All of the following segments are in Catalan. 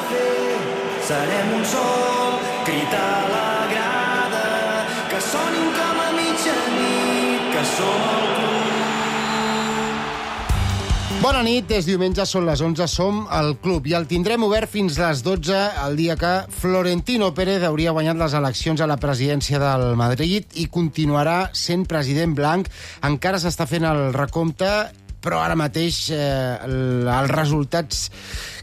fer. Serem un sol, crit a la grada, que sonin com a mitjanit, que som el club. Bona nit, és diumenge, són les 11, som al club i el tindrem obert fins les 12, el dia que Florentino Pérez hauria guanyat les eleccions a la presidència del Madrid i continuarà sent president blanc. Encara s'està fent el recompte, però ara mateix els resultats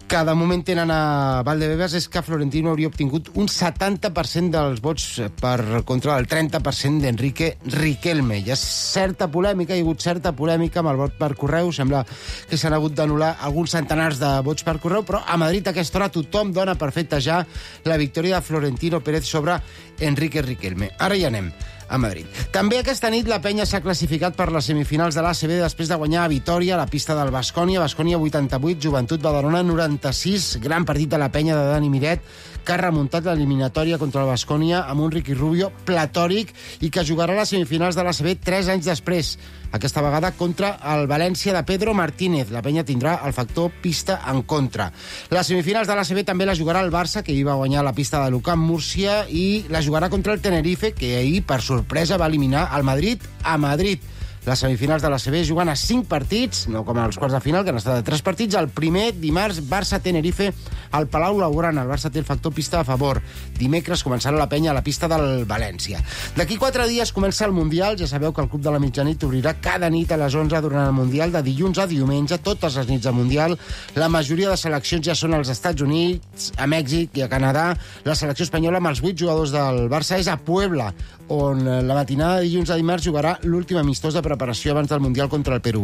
que de moment tenen a Valdebebas és que Florentino hauria obtingut un 70% dels vots per contra del 30% d'Enrique Riquelme. Hi ha certa polèmica, hi ha hagut certa polèmica amb el vot per correu. Sembla que s'han hagut d'anul·lar alguns centenars de vots per correu, però a Madrid a aquesta hora tothom dona per feta ja la victòria de Florentino Pérez sobre Enrique Riquelme. Ara hi anem a Madrid. També aquesta nit la penya s'ha classificat per les semifinals de l'ACB després de guanyar a Vitòria a la pista del Baskonia. Baskonia 88, Joventut Badalona 96. Gran partit de la penya de Dani Miret, que ha remuntat l'eliminatòria contra el Baskonia amb un Ricky Rubio platòric i que jugarà a les semifinals de l'ACB 3 anys després. Aquesta vegada contra el València de Pedro Martínez. La penya tindrà el factor pista en contra. Les semifinals de l'ACB també la jugarà el Barça, que hi va guanyar la pista de l'UCAM Múrcia, i la jugarà contra el Tenerife, que ahir, per sorpresa, va eliminar el Madrid a Madrid. Les semifinals de l'ACB jugant a 5 partits, no com als quarts de final, que han estat de 3 partits. El primer, dimarts, Barça-Tenerife al Palau Blaugrana. El Barça té el factor pista a favor. Dimecres començarà la penya a la pista del València. D'aquí 4 dies comença el Mundial. Ja sabeu que el Club de la Mitjanit obrirà cada nit a les 11 durant el Mundial, de dilluns a diumenge, totes les nits de Mundial. La majoria de seleccions ja són als Estats Units, a Mèxic i a Canadà. La selecció espanyola amb els 8 jugadors del Barça és a Puebla, on la matinada de dilluns a dimarts jugarà l'últim amistós de preparació abans del Mundial contra el Perú.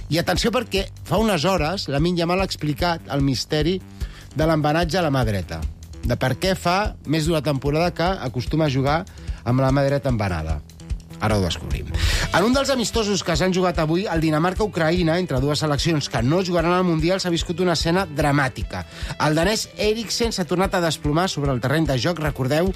I atenció, perquè fa unes hores Lamine Yamal ha explicat el misteri de l'embenatge a la mà dreta, de per què fa més d'una temporada que acostuma a jugar amb la mà dreta embenada. Ara ho descobrim. En un dels amistosos que s'han jugat avui, el Dinamarca-Ucraïna, entre dues seleccions que no jugaran al Mundial, s'ha viscut una escena dramàtica. El danès Eriksen s'ha tornat a desplomar sobre el terreny de joc. Recordeu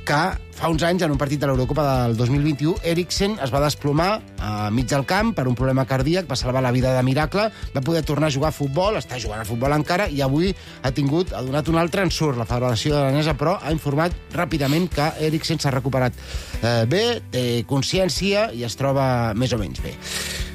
que fa uns anys, en un partit de l'Eurocopa del 2021, Eriksen es va desplomar a mig del camp per un problema cardíac, va salvar la vida de miracle, va poder tornar a jugar a futbol, està jugant a futbol encara, i avui ha donat un altre ensurt. La Federació Danesa, però, ha informat ràpidament que Eriksen s'ha recuperat bé, té consciència i es troba més o menys bé.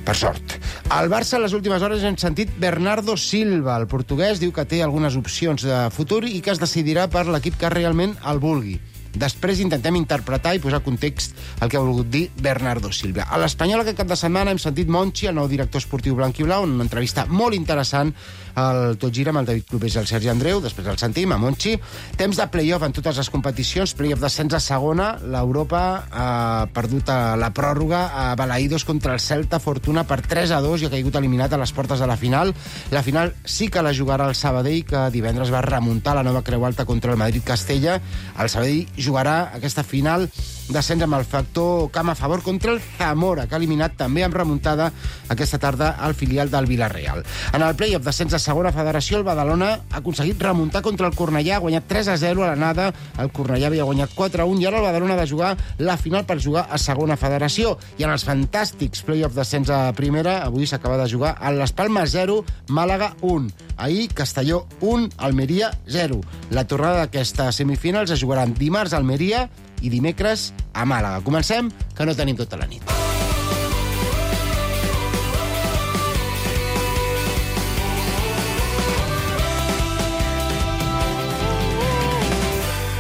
Per sort. Al Barça, en les últimes hores, hem sentit Bernardo Silva. El portuguès diu que té algunes opcions de futur i que es decidirà per l'equip que realment el vulgui. Després intentem interpretar i posar context el que ha volgut dir Bernardo Silva. A l'Espanyol aquest cap de setmana hem sentit Monchi, el nou director esportiu blanc-i-blau, en una entrevista molt interessant al Tot Gira amb el David Clopés i el Sergi Andreu. Després el sentim, a Monchi. Temps de play-off en totes les competicions, play-off d'ascens a segona. L'Europa ha perdut la pròrroga a Balaïdos contra el Celta Fortuna per 3-2 i ha caigut eliminat a les portes de la final. La final sí que la jugarà el Sabadell, que divendres va remuntar la nova Creu Alta contra el Madrid-Castella. El Sabadell jugarà aquesta final d'ascens amb el factor camp a favor contra el Zamora, que ha eliminat també amb remuntada aquesta tarda al filial del Villarreal. En el play-off d'ascens a segona federació, el Badalona ha aconseguit remuntar contra el Cornellà, ha guanyat 3-0 a l'anada, el Cornellà havia guanyat 4-1, i ara el Badalona ha de jugar la final per jugar a segona federació. I en els fantàstics play-off d'ascens a primera, avui s'acaba de jugar a les Palmes 0, Màlaga 1. Ahir, Castelló 1, Almeria 0. La tornada d'aquestes semifinals es jugaran dimarts a Almeria i dimecres a Màlaga. Comencem, que no tenim tota la nit.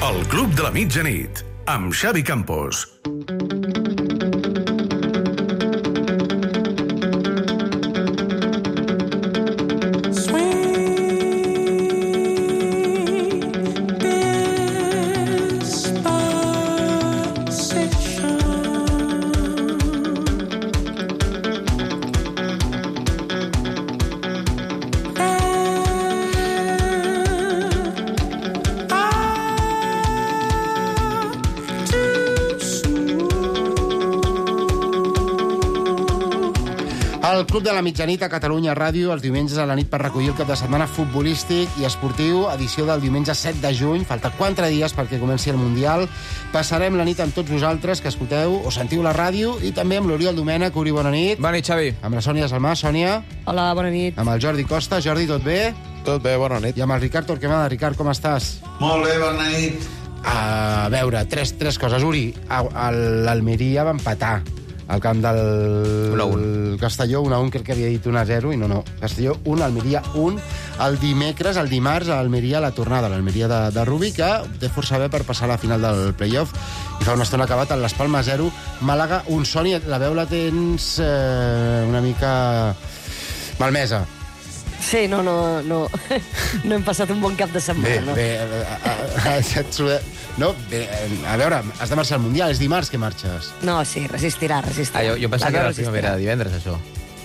El Club de la Mitjanit, amb Xavi Campos. El Club de la Mitjanit a Catalunya Ràdio, els diumenges a la nit per recollir el cap de setmana futbolístic i esportiu, edició del diumenge 7 de juny. Falta 4 dies perquè comenci el Mundial. Passarem la nit amb tots vosaltres que escolteu o sentiu la ràdio, i també amb l'Oriol Domènech. Uri, bona nit. Bona nit, Xavi. Amb la Sònia Salmà. Sònia. Hola, bona nit. Amb el Jordi Costa. Jordi, tot bé? Tot bé, bona nit. I amb el Ricard Torquemada. Ricard, com estàs? Molt bé, bona nit. A veure, tres coses. Uri, l'Almeria va empatar al camp del 1-1. Castelló, 1-1, crec que havia dit 1-0, i no. Castelló 1, Almeria 1. El dimarts, a Almeria, la tornada, l'Almeria de Rubi, que té força bé per passar a la final del playoff, i fa una estona acabat en l'Las Palmas 0, Màlaga 1. Soni, la veu la tens una mica malmesa. Sí, no. No hem passat un bon cap de setmana. No, a veure, has de marxar al Mundial, és dimarts que marxes. No, sí, resistirà. Jo pensava que era la primavera, divendres, això.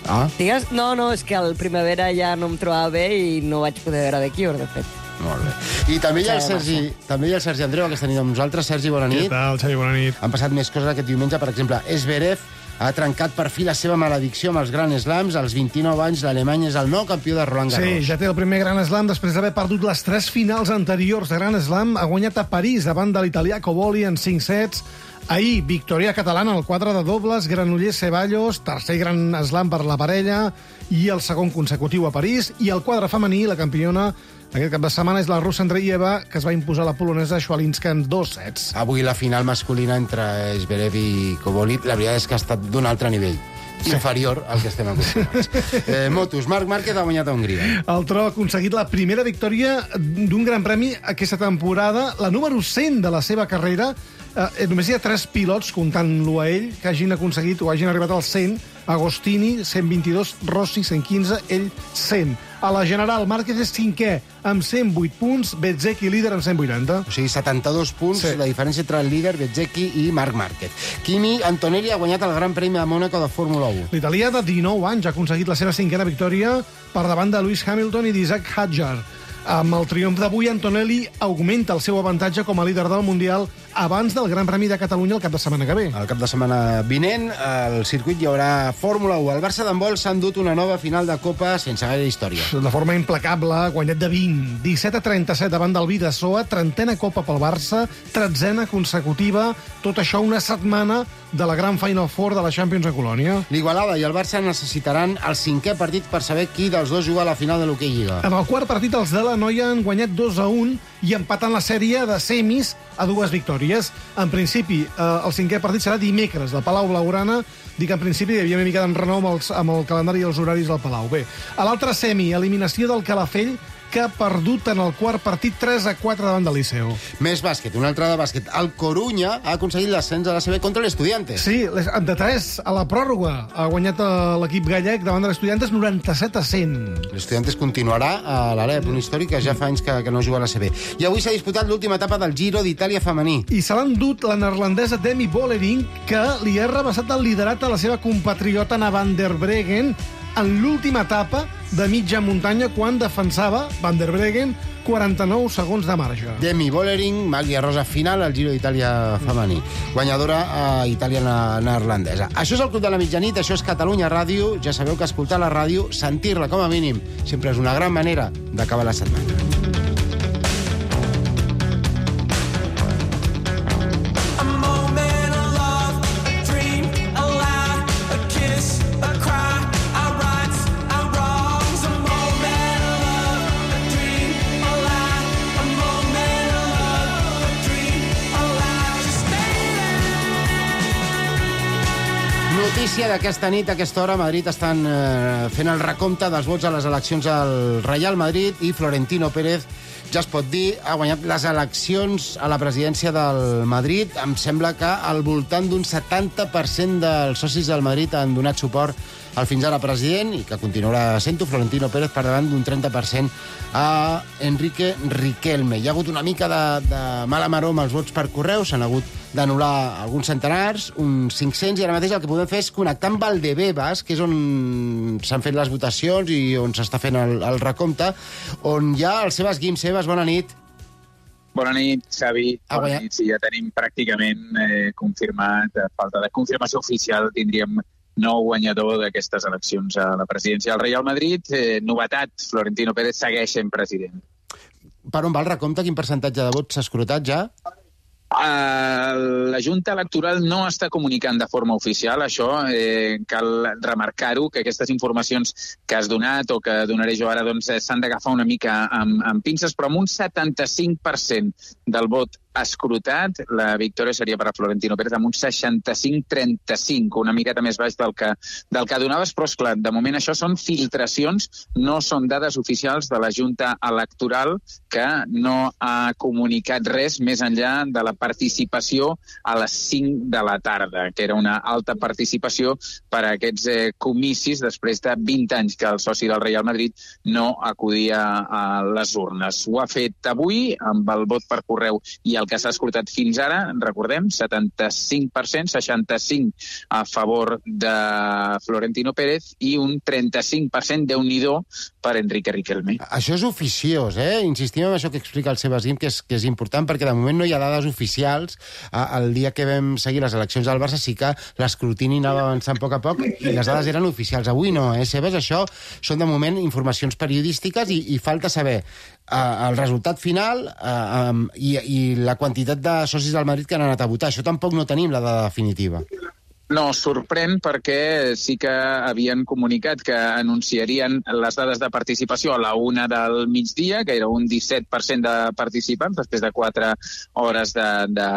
Ah? Digues? No, és que al primavera ja no em trobava bé i no vaig poder veure de Cure, de fet. Molt bé. I també hi ha el Sergi Andreu aquesta nit amb nosaltres. Sergi, bona nit. Què tal, Xavi? Bona nit. Han passat més coses aquest diumenge. Per exemple, Zverev ha trencat per fi la seva maledicció amb els Grand Slams. Als 29 anys, l'Alemany és el nou campió de Roland Garros. Sí, ja té el primer Grand Slam després d'haver perdut les 3 finals anteriors de Grand Slam. Ha guanyat a París davant de l'italià Coboli en 5 sets. Ahir, victòria catalana al quadre de dobles, Granollers-Ceballos, tercer Grand Slam per la parella i el segon consecutiu a París. I el quadre femení, la campiona aquest cap de setmana és la russa Andreeva, que es va imposar la polonesa Schwalinska en 2 sets. Avui la final masculina entre Zverev i Coboli, la veritat és que ha estat d'un altre nivell. Inferior al que estem acostumats. Motos, Marc Márquez ha guanyat a Hongria. El Tro ha aconseguit la primera victòria d'un gran premi aquesta temporada, la número 100 de la seva carrera. Només hi ha 3 pilots, comptant-lo a ell, que hagin aconseguit o hagin arribat al 100. Agostini, 122, Rossi, 115, ell, 100. A la general, Márquez és 5è, amb 108 punts, Bezzecchi líder amb 180. O sigui, 72 punts, Sí. la diferència entre el líder, Bezzecchi, i Marc Márquez. Kimi Antonelli ha guanyat el Gran Premi de Mònaco de Fórmula 1. L'italià de 19 anys ha aconseguit la seva 5a victòria per davant de Lewis Hamilton i d'Isaac Hadjar. Amb el triomf d'avui, Antonelli augmenta el seu avantatge com a líder del Mundial abans del Gran Premi de Catalunya el cap de setmana que ve. El cap de setmana vinent, al circuit hi haurà Fórmula 1. El Barça d'handbol s'ha endut una nova final de Copa sense gaire història. De forma implacable, ha guanyat de 20, 17-37 davant del Bidasoa, 30a Copa pel Barça, 13a consecutiva, tot això una setmana de la gran Final Four de la Champions a Colònia. L'Igualada i el Barça necessitaran el 5è partit per saber qui dels dos juga a la final de l'Hockey Lliga. En el quart partit, els de la Noia han guanyat 2-1 i empatant la sèrie de semis a 2 victòries. En principi, el 5è partit serà dimecres, del Palau Blaugrana. Dic en principi, hi havia una mica d'enrenou amb el calendari i els horaris del Palau. Bé, a l'altre semi, eliminació del Calafell, que ha perdut en el quart partit 3-4 davant del Liceu. Més bàsquet, una altra de bàsquet. El Corunya ha aconseguit l'ascens a la CB contra l'Estudiantes. Sí, de 3 a la pròrroga ha guanyat l'equip gallec davant de l'Estudiantes 97-100. L'Estudiantes continuarà a l'Alep, un històric que ja fa anys que no juga a la CB. I avui s'ha disputat l'última etapa del Giro d'Itàlia femení. I se l'han dut la neerlandesa Demi Vollering, que li ha rebassat el liderat a la seva compatriota Anna van der Breggen en l'última etapa de mitja muntanya quan defensava Van der Breggen 49 segons de marge. Demi Vollering, maglia rosa final al Giro d'Itàlia femení. Guanyadora a Itàlia neerlandesa. Això és el Club de la Mitjanit, això és Catalunya Ràdio. Ja sabeu que escoltar la ràdio, sentir-la com a mínim, sempre és una gran manera d'acabar la setmana. Notícia d'aquesta nit, a aquesta hora, a Madrid estan fent el recompte dels vots a les eleccions al Real Madrid i Florentino Pérez, ja es pot dir, ha guanyat les eleccions a la presidència del Madrid. Em sembla que al voltant d'un 70% dels socis del Madrid han donat suport al fins ara president i que continuarà sent-ho, Florentino Pérez, per davant d'un 30% a Enrique Riquelme. Hi ha hagut una mica de mala maror amb els vots per correu, s'han hagut d'anul·lar alguns centenars, uns 500, i ara mateix el que podem fer és connectar amb Valdebebas, que és on s'han fet les votacions i on s'està fent el recompte, on hi ha el Sebas Guim. Sebas, bona nit. Bona nit, Xavi. Bona nit. Sí, ja tenim pràcticament confirmat, a falta de confirmació oficial, tindríem nou guanyador d'aquestes eleccions a la presidència del Real Madrid. Novetat, Florentino Pérez segueix sent president. Per on va el recompte? Quin percentatge de vots s'ha escrutat ja? La Junta Electoral no està comunicant de forma oficial, això cal remarcar-ho, que aquestes informacions que has donat o que donaré jo ara s'han d'agafar una mica amb pinces, però amb un 75% del vot escrutat, la victòria seria per a Florentino Pérez amb un 65-35, una miqueta més baix del que donaves, però esclar, de moment això són filtracions, no són dades oficials de la Junta Electoral, que no ha comunicat res més enllà de la participació a les 5 de la tarda, que era una alta participació per a aquests comicis després de 20 anys que el soci del Real Madrid no acudia a les urnes. Ho ha fet avui amb el vot per correu i el que s'ha escrutat fins ara, recordem, 75%, 65% a favor de Florentino Pérez i un 35%, Déu-n'hi-do, per Enrique Riquelme. Això és oficiós, Insistim en això que explica el Sebastián, que és important, perquè de moment no hi ha dades oficials. El dia que vam seguir les eleccions del Barça sí que l'escrutini anava avançant a poc i les dades eren oficials. Avui no, Sebas? Això són de moment informacions periodístiques i falta saber el resultat final i la quantitat de socis del Madrid que han anat a votar. Això tampoc no tenim la dada definitiva. No, sorprèn perquè sí que havien comunicat que anunciarien les dades de participació a la 1 del migdia, que era un 17% de participants, després de 4 hores de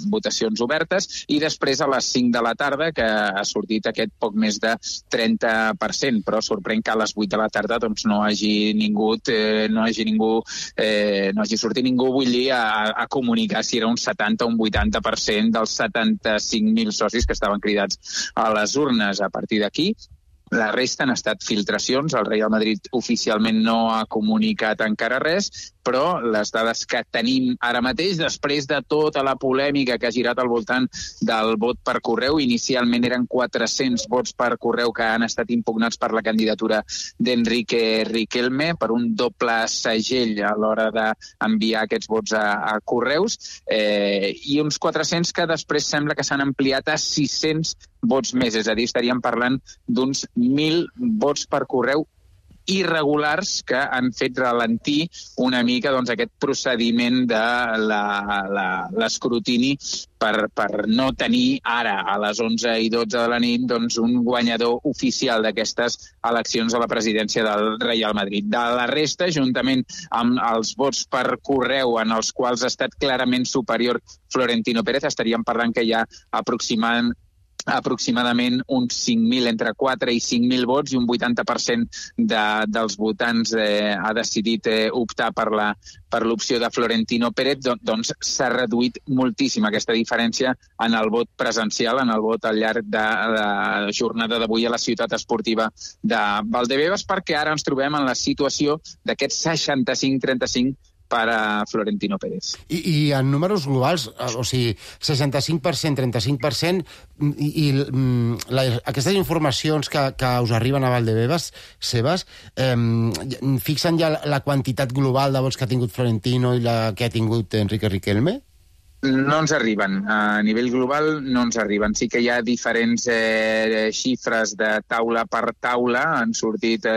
votacions obertes, i després a les 5 de la tarda, que ha sortit aquest poc més de 30%, però sorprèn que a les 8 de la tarda doncs, no hagi sortit ningú, vull dir, a comunicar si era un 70 o un 80% dels 75.000 socis que estaven cridats a les urnes. A partir d'aquí, la resta han estat filtracions. El Real Madrid oficialment no ha comunicat encara res, però les dades que tenim ara mateix, després de tota la polèmica que ha girat al voltant del vot per correu, inicialment eren 400 vots per correu que han estat impugnats per la candidatura d'Enrique Riquelme, per un doble segell a l'hora d'enviar aquests vots a correus, i uns 400 que després sembla que s'han ampliat a 600 vots més, és a dir, estaríem parlant d'uns 1.000 vots per correu irregulars que han fet ralentir una mica aquest procediment de l'escrutini per no tenir ara, a les 11:12 de la nit, un guanyador oficial d'aquestes eleccions a la presidència del Real Madrid. De la resta, juntament amb els vots per correu en els quals ha estat clarament superior Florentino Pérez, estaríem parlant que hi ha aproximadament uns 5.000, entre 4 i 5.000 vots, i un 80% dels votants ha decidit optar per l'opció de Florentino Pérez, doncs s'ha reduït moltíssim aquesta diferència en el vot presencial, en el vot al llarg de la jornada d'avui a la ciutat esportiva de Valdebebas, perquè ara ens trobem en la situació d'aquest 65-35 per a Florentino Pérez. I en números globals, o sigui, 65%, 35%, i aquestes informacions que us arriben a Valdebebas, Sebas, fixen ja la quantitat global de vots que ha tingut Florentino i la que ha tingut Enrique Riquelme? No ens arriben. A nivell global no ens arriben. Sí que hi ha diferents xifres de taula per taula. Han sortit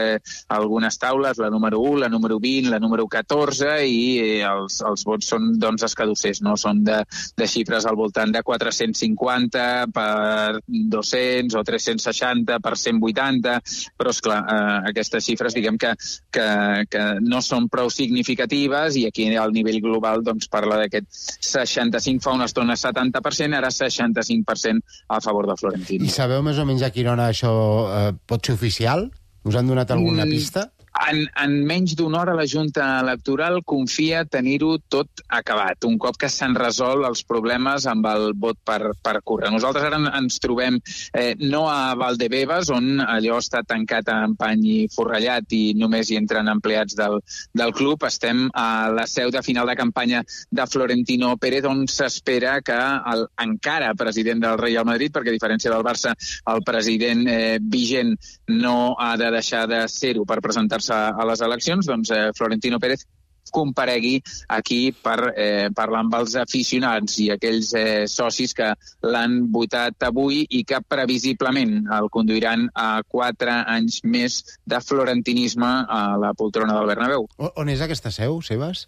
algunes taules, la número 1, la número 20, la número 14, i els vots són escadussers, no? Són de xifres al voltant de 450 per 200 o 360 per 180, però esclar, aquestes xifres diguem que no són prou significatives, i aquí al nivell global parla d'aquest 65, fa una estona 70%, ara 65% a favor de Florentino. I sabeu més o menys a quina hora això pot ser oficial? Us han donat alguna pista? En menys d'una hora la Junta Electoral confia tenir-ho tot acabat, un cop que s'han resolt els problemes amb el vot per correu. Nosaltres ara ens trobem no a Valdebebas, on allò està tancat amb pany i forrellat i només hi entren empleats del club. Estem a la seu de final de campanya de Florentino Pérez, on s'espera que encara president del Real Madrid, perquè a diferència del Barça, el president vigent no ha de deixar de ser-ho per presentar-se a les eleccions, doncs Florentino Pérez comparegui aquí per parlar amb els aficionats i aquells socis que l'han votat avui i que previsiblement el conduiran a 4 anys més de florentinisme a la poltrona del Bernabéu. On és aquesta seu, Sebas?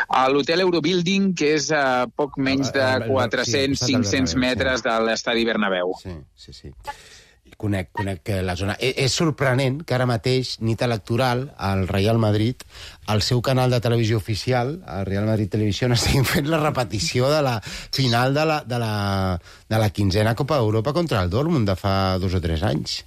A l'hotel Eurobuilding, que és a poc menys de 400-500 metres de l'estadi Bernabéu. Sí. Conec la zona. És sorprenent que ara mateix, nit electoral, al Real Madrid, al seu canal de televisió oficial, el Real Madrid Televisió, estiguin fent la repetició de la final de la 15a Copa d'Europa contra el Dortmund de fa 2 o 3 anys.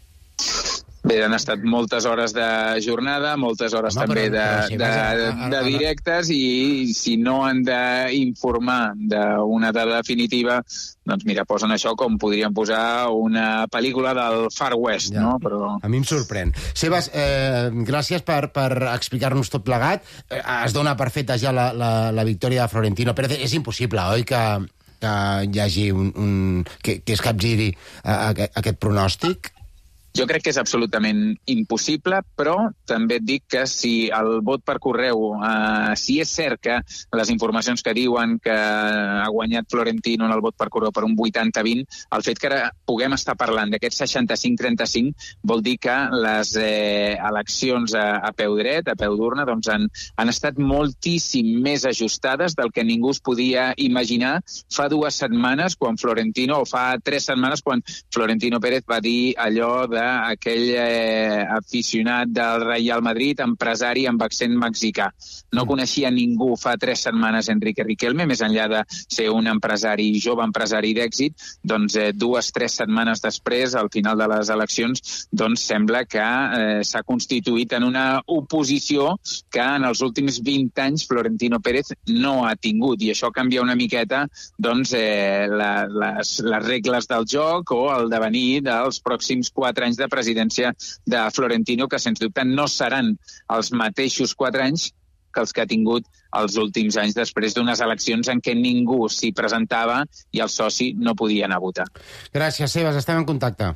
Bé, han estat moltes hores de jornada, moltes hores també de directes, i si no han d'informar d'una data definitiva, doncs mira, posen això com podrien posar una pel·lícula del Far West, no? Però... A mi em sorprèn. Sebas, gràcies per explicar-nos tot plegat. Es dona per feta ja la victòria de Florentino Pérez. És impossible, oi, que hi hagi que es capgiri aquest pronòstic? Jo crec que és absolutament impossible, però també et dic que si el vot per correu, si és cert que les informacions que diuen que ha guanyat Florentino en el vot per correu per un 80-20, el fet que ara puguem estar parlant d'aquest 65-35 vol dir que les eleccions a peu dret, a peu d'urna, doncs han estat moltíssim més ajustades del que ningú es podia imaginar fa 2 setmanes, quan Florentino, o fa 3 setmanes, quan Florentino Pérez va dir allò d'aquell aficionat del Real Madrid, empresari amb accent mexicà. No coneixia ningú fa 3 setmanes Enrique Riquelme, més enllà de ser un empresari, jove empresari d'èxit, doncs 2-3 setmanes després, al final de les eleccions, doncs sembla que s'ha constituït en una oposició que en els últims 20 anys Florentino Pérez no ha tingut, i això canvia una miqueta doncs, les regles del joc o el devenir dels pròxims 4 anys de presidència de Florentino, que sens dubte no seran els mateixos 4 anys que els que ha tingut els últims anys després d'unes eleccions en què ningú s'hi presentava i el soci no podia anar a votar. Gràcies, Sebas, estem en contacte.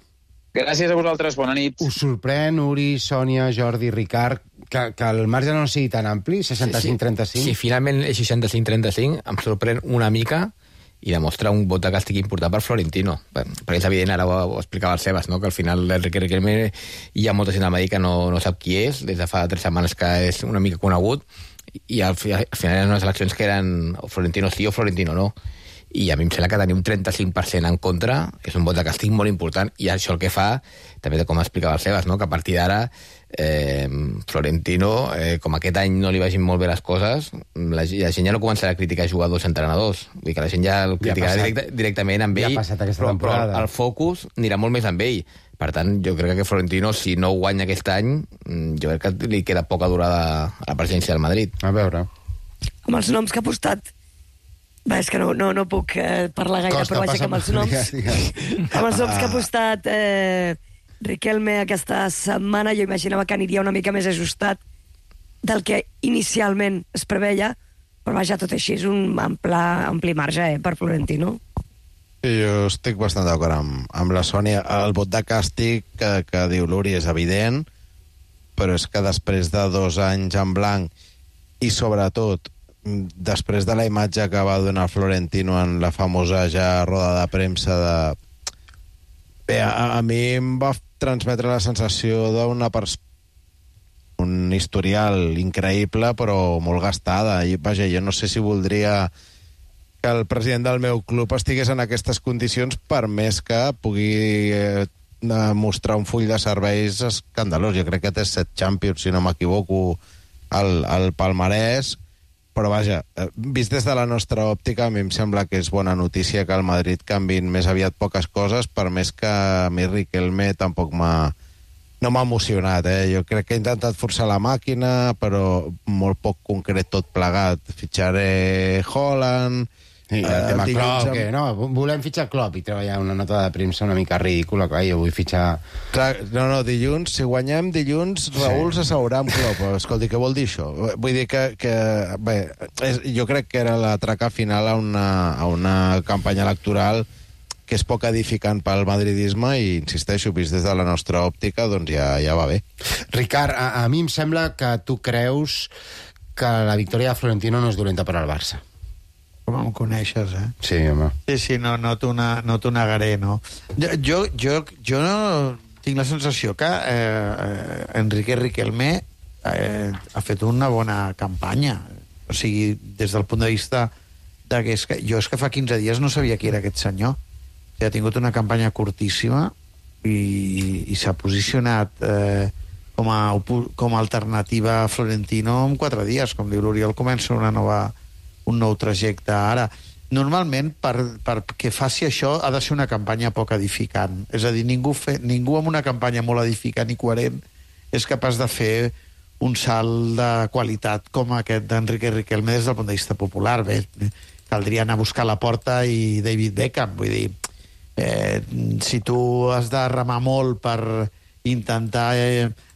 Gràcies a vosaltres, bona nit. Us sorprèn, Uri, Sònia, Jordi, Ricard, que el marge no sigui tan ampli, 65-35? Sí, finalment és 65-35, em sorprèn una mica i demostra un vot de càstig important per Florentino. Perquè és evident, ara ho explicava el Sebas, no? Que al final l'Enrique Riquelme hi ha molta gent al Madrid que no sap qui és, des de fa 3 setmanes que és una mica conegut, i al final eren unes eleccions que eren o Florentino sí o Florentino no. I a mi em sembla que tenir un 35% en contra és un vot de càstig molt important, i això el que fa, també com explicava el Sebas, no? Que a partir d'ara Florentino, com aquest any no li vagin molt bé les coses, la gent ja no començarà a criticar jugadors i entrenadors. Vull dir que la gent ja el criticarà directament amb ell, però el focus anirà molt més amb ell. Per tant, jo crec que Florentino, si no guanya aquest any, jo crec que li queda poca durada a la presidència del Madrid. A veure. Amb els noms que ha postat, és que no puc parlar gaire, però vaja que amb els noms que ha postat Riquelme aquesta setmana, jo imaginava que aniria una mica més ajustat del que inicialment es preveia, però vaja, tot així és un ampli marge per Florentino. Sí, jo estic bastant d'acord amb la Sònia. El vot de càstig que diu l'Uri és evident, però és que després de 2 anys en blanc i sobretot després de la imatge que va donar Florentino en la famosa ja roda de premsa Bé, a mi em va transmetre la sensació d'una un historial increïble però molt gastada, i vaja, jo no sé si voldria que el president del meu club estigués en aquestes condicions, per més que pugui mostrar un full de serveis escandalós. Jo crec que té 7 Champions, si no m'equivoco, al palmarès. Però vaja, vist des de la nostra òptica, a mi em sembla que és bona notícia que al Madrid canvin més aviat poques coses, per més que a mi Riquelme tampoc no m'ha emocionat. Jo crec que he intentat forçar la màquina, però molt poc concret tot plegat. Fitxaré Haaland... Sí, el tema Klopp, que no, volem fitxar Klopp, i treballar una nota de premsa una mica ridícula, clar, jo vull fitxar... Clar, no, dilluns, si guanyem dilluns, Raül s'asseurà amb Klopp. Escolti, què vol dir això? Vull dir que bé, jo crec que era l'atracar final a una campanya electoral que és poc edificant pel madridisme, i insisteixo, vist des de la nostra òptica, doncs ja va bé. Ricard, a mi em sembla que tu creus que la victòria de Florentino no és dolenta per al Barça. Com em coneixes, eh? Sí, home. Sí, no t'ho negaré, no? Jo tinc la sensació que Enrique Riquelme ha fet una bona campanya. O sigui, des del punt de vista jo és que fa 15 dies no sabia qui era aquest senyor. Ha tingut una campanya curtíssima i s'ha posicionat com a alternativa a Florentino en 4 dies. Com diu l'Oriol, comença un nou trajecte ara. Normalment, perquè faci això, ha de ser una campanya poc edificant. És a dir, ningú amb una campanya molt edificant i coherent és capaç de fer un salt de qualitat com aquest d'Enrique Riquelme des del punt de vista popular. Bé, caldria anar a buscar la Porta i David Beckham. Vull dir, si tu has de remar molt per intentar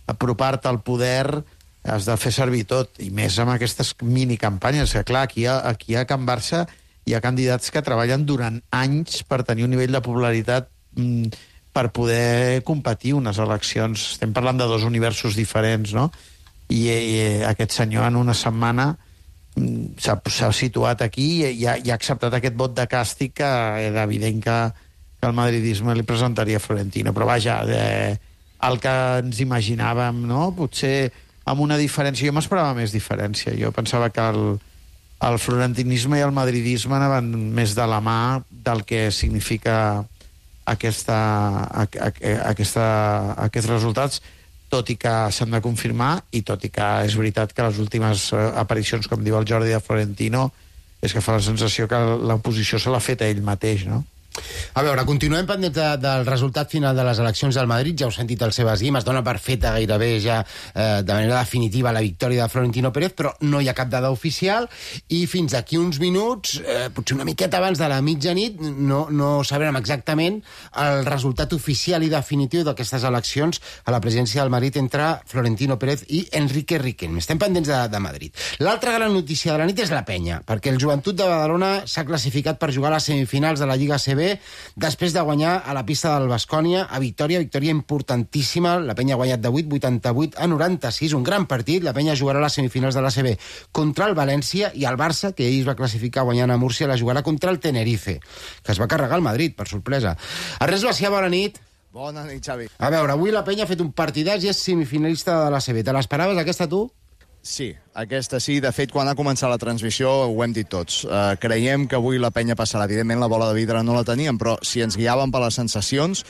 apropar-te al poder, has de fer servir tot, i més amb aquestes minicampanyes. Que clar, aquí a Can Barça hi ha candidats que treballen durant anys per tenir un nivell de popularitat per poder competir unes eleccions. Estem parlant de 2 universos diferents, no? I aquest senyor en una setmana s'ha situat aquí i ha acceptat aquest vot de càstig que era evident que el madridisme li presentaria a Florentino. Però vaja, el que ens imaginàvem, no? Potser amb una diferència. Jo m'esperava més diferència. Jo pensava que el florentinisme i el madridisme anaven més de la mà del que significa aquests resultats, tot i que s'han de confirmar i tot i que és veritat que les últimes aparicions, com diu el Jordi de Florentino, és que fa la sensació que l'oposició se l'ha fet a ell mateix, no? A veure, continuem pendents del resultat final de les eleccions del Madrid. Ja heu sentit el Sebas Guim, es dona per feta gairebé ja de manera definitiva la victòria de Florentino Pérez, però no hi ha cap dada oficial i fins d'aquí uns minuts, potser una miqueta abans de la mitjanit, no sabrem exactament el resultat oficial i definitiu d'aquestes eleccions a la presidència del Madrid entre Florentino Pérez i Enrique Riquelme. Estem pendents de Madrid. L'altra gran notícia de la nit és la Penya, perquè el Joventut de Badalona s'ha classificat per jugar a les semifinals de la Lliga CB després de guanyar a la pista del Baskonia a victòria importantíssima. La Penya ha guanyat de 88 a 96, un gran partit. La Penya jugarà a les semifinals de l'ACB contra el València i el Barça, que ell es va classificar guanyant a Múrcia, la jugarà contra el Tenerife, que es va carregar el Madrid, per sorpresa. Ernest Bacià, bona nit. Bona nit, Xavi. A veure, avui la Penya ha fet un partidàs i és semifinalista de l'ACB. Te l'esperaves, aquesta, tu? Sí, aquesta sí. De fet, quan ha començat la transmissió ho hem dit tots. Creiem que avui la Penya passarà. Evidentment, la bola de vidre no la teníem, però si ens guiàvem per les sensacions,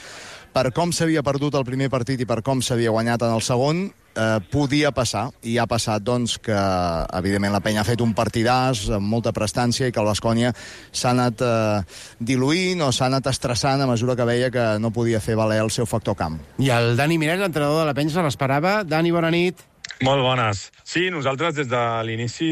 per com s'havia perdut el primer partit i per com s'havia guanyat en el segon, podia passar. I ha passat, doncs, que evidentment la Penya ha fet un partidàs amb molta prestància i que el Baskonia s'ha anat diluint o s'ha anat estressant a mesura que veia que no podia fer valer el seu factor camp. I el Dani Miret, l'entrenador de la Penya, se l'esperava. Dani, bona nit. Molt bones. Sí, nosaltres des de l'inici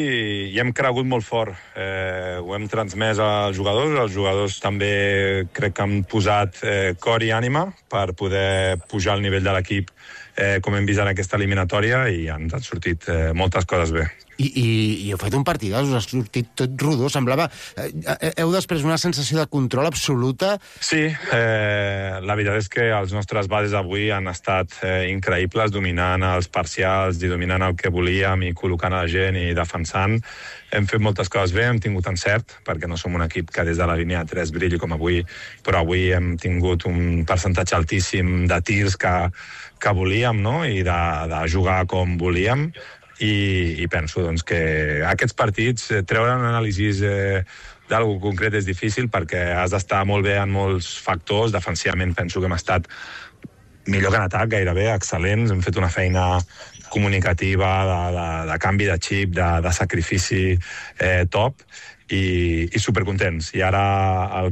hi hem cregut molt fort. Ho hem transmès als jugadors també crec que han posat cor i ànima per poder pujar el nivell de l'equip com hem vist en aquesta eliminatòria i ens han sortit moltes coses bé. I heu fet un partidàs, us ha sortit tot rodó, semblava... Heu després una sensació de control absoluta? Sí, la veritat és que els nostres bases avui han estat increïbles, dominant els parcials i dominant el que volíem i col·locant a la gent i defensant. Hem fet moltes coses bé, hem tingut encert, perquè no som un equip que des de la línia 3 brilli com avui, però avui hem tingut un percentatge altíssim de tirs que volíem, no? I de jugar com volíem. I penso doncs, que aquests partits, treure un anàlisi d'algú concret és difícil perquè has d'estar molt bé en molts factors. Defensivament penso que hem estat millor que en atac, gairebé excel·lents. Hem fet una feina comunicativa, de canvi de xip, de sacrifici top i supercontents. I ara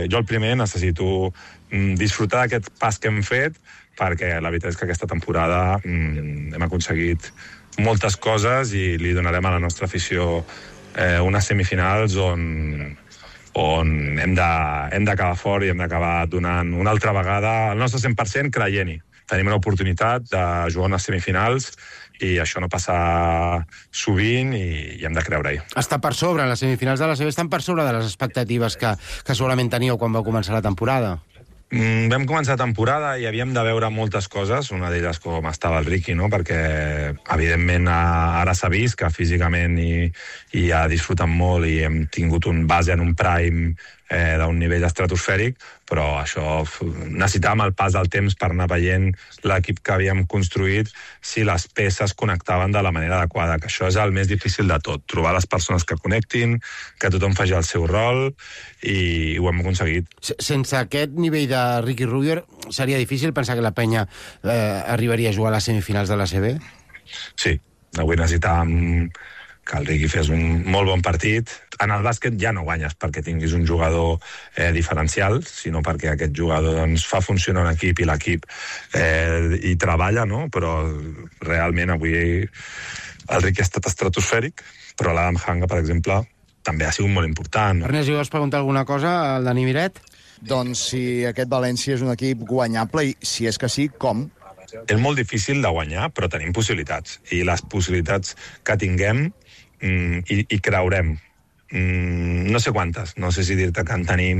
jo el primer necessito disfrutar d'aquest pas que hem fet perquè la veritat és que aquesta temporada hem aconseguit moltes coses i li donarem a la nostra afició unes semifinals on hem d'acabar fort i hem d'acabar donant una altra vegada el nostre 100% creient-hi. Tenim una oportunitat de jugar unes semifinals i això no passa sovint i hem de creure-hi. Està per sobre, les semifinals de la CB estan per sobre de les expectatives que segurament teníeu quan vau començar la temporada. Vam començar la temporada i havíem de veure moltes coses, una d'elles com estava el Riqui, no? Perquè evidentment ara s'ha vist que físicament i ha disfrutat molt i hem tingut un base en un prime d'un nivell estratosfèric, però això necessitàvem el pas del temps per anar veient l'equip que havíem construït si les peces connectaven de la manera adequada, que això és el més difícil de tot, trobar les persones que connectin, que tothom faci el seu rol, i ho hem aconseguit. Sense aquest nivell de Riqui Rubio seria difícil pensar que la penya arribaria a jugar a les semifinals de l'ACB? Sí, avui necessitàvem que el Riqui fes un molt bon partit. En el bàsquet ja no guanyes perquè tinguis un jugador diferencial, sinó perquè aquest jugador fa funcionar un equip i l'equip hi treballa, no? Però realment avui el Riqui ha estat estratosfèric, però l'Adam Hanga, per exemple, també ha sigut molt important. Ernest, vols preguntar alguna cosa al Dani Miret? Doncs si aquest València és un equip guanyable, i si és que sí, com? És molt difícil de guanyar, però tenim possibilitats. I les possibilitats que tinguem i creurem. No sé quantes, no sé si dir-te que en tenim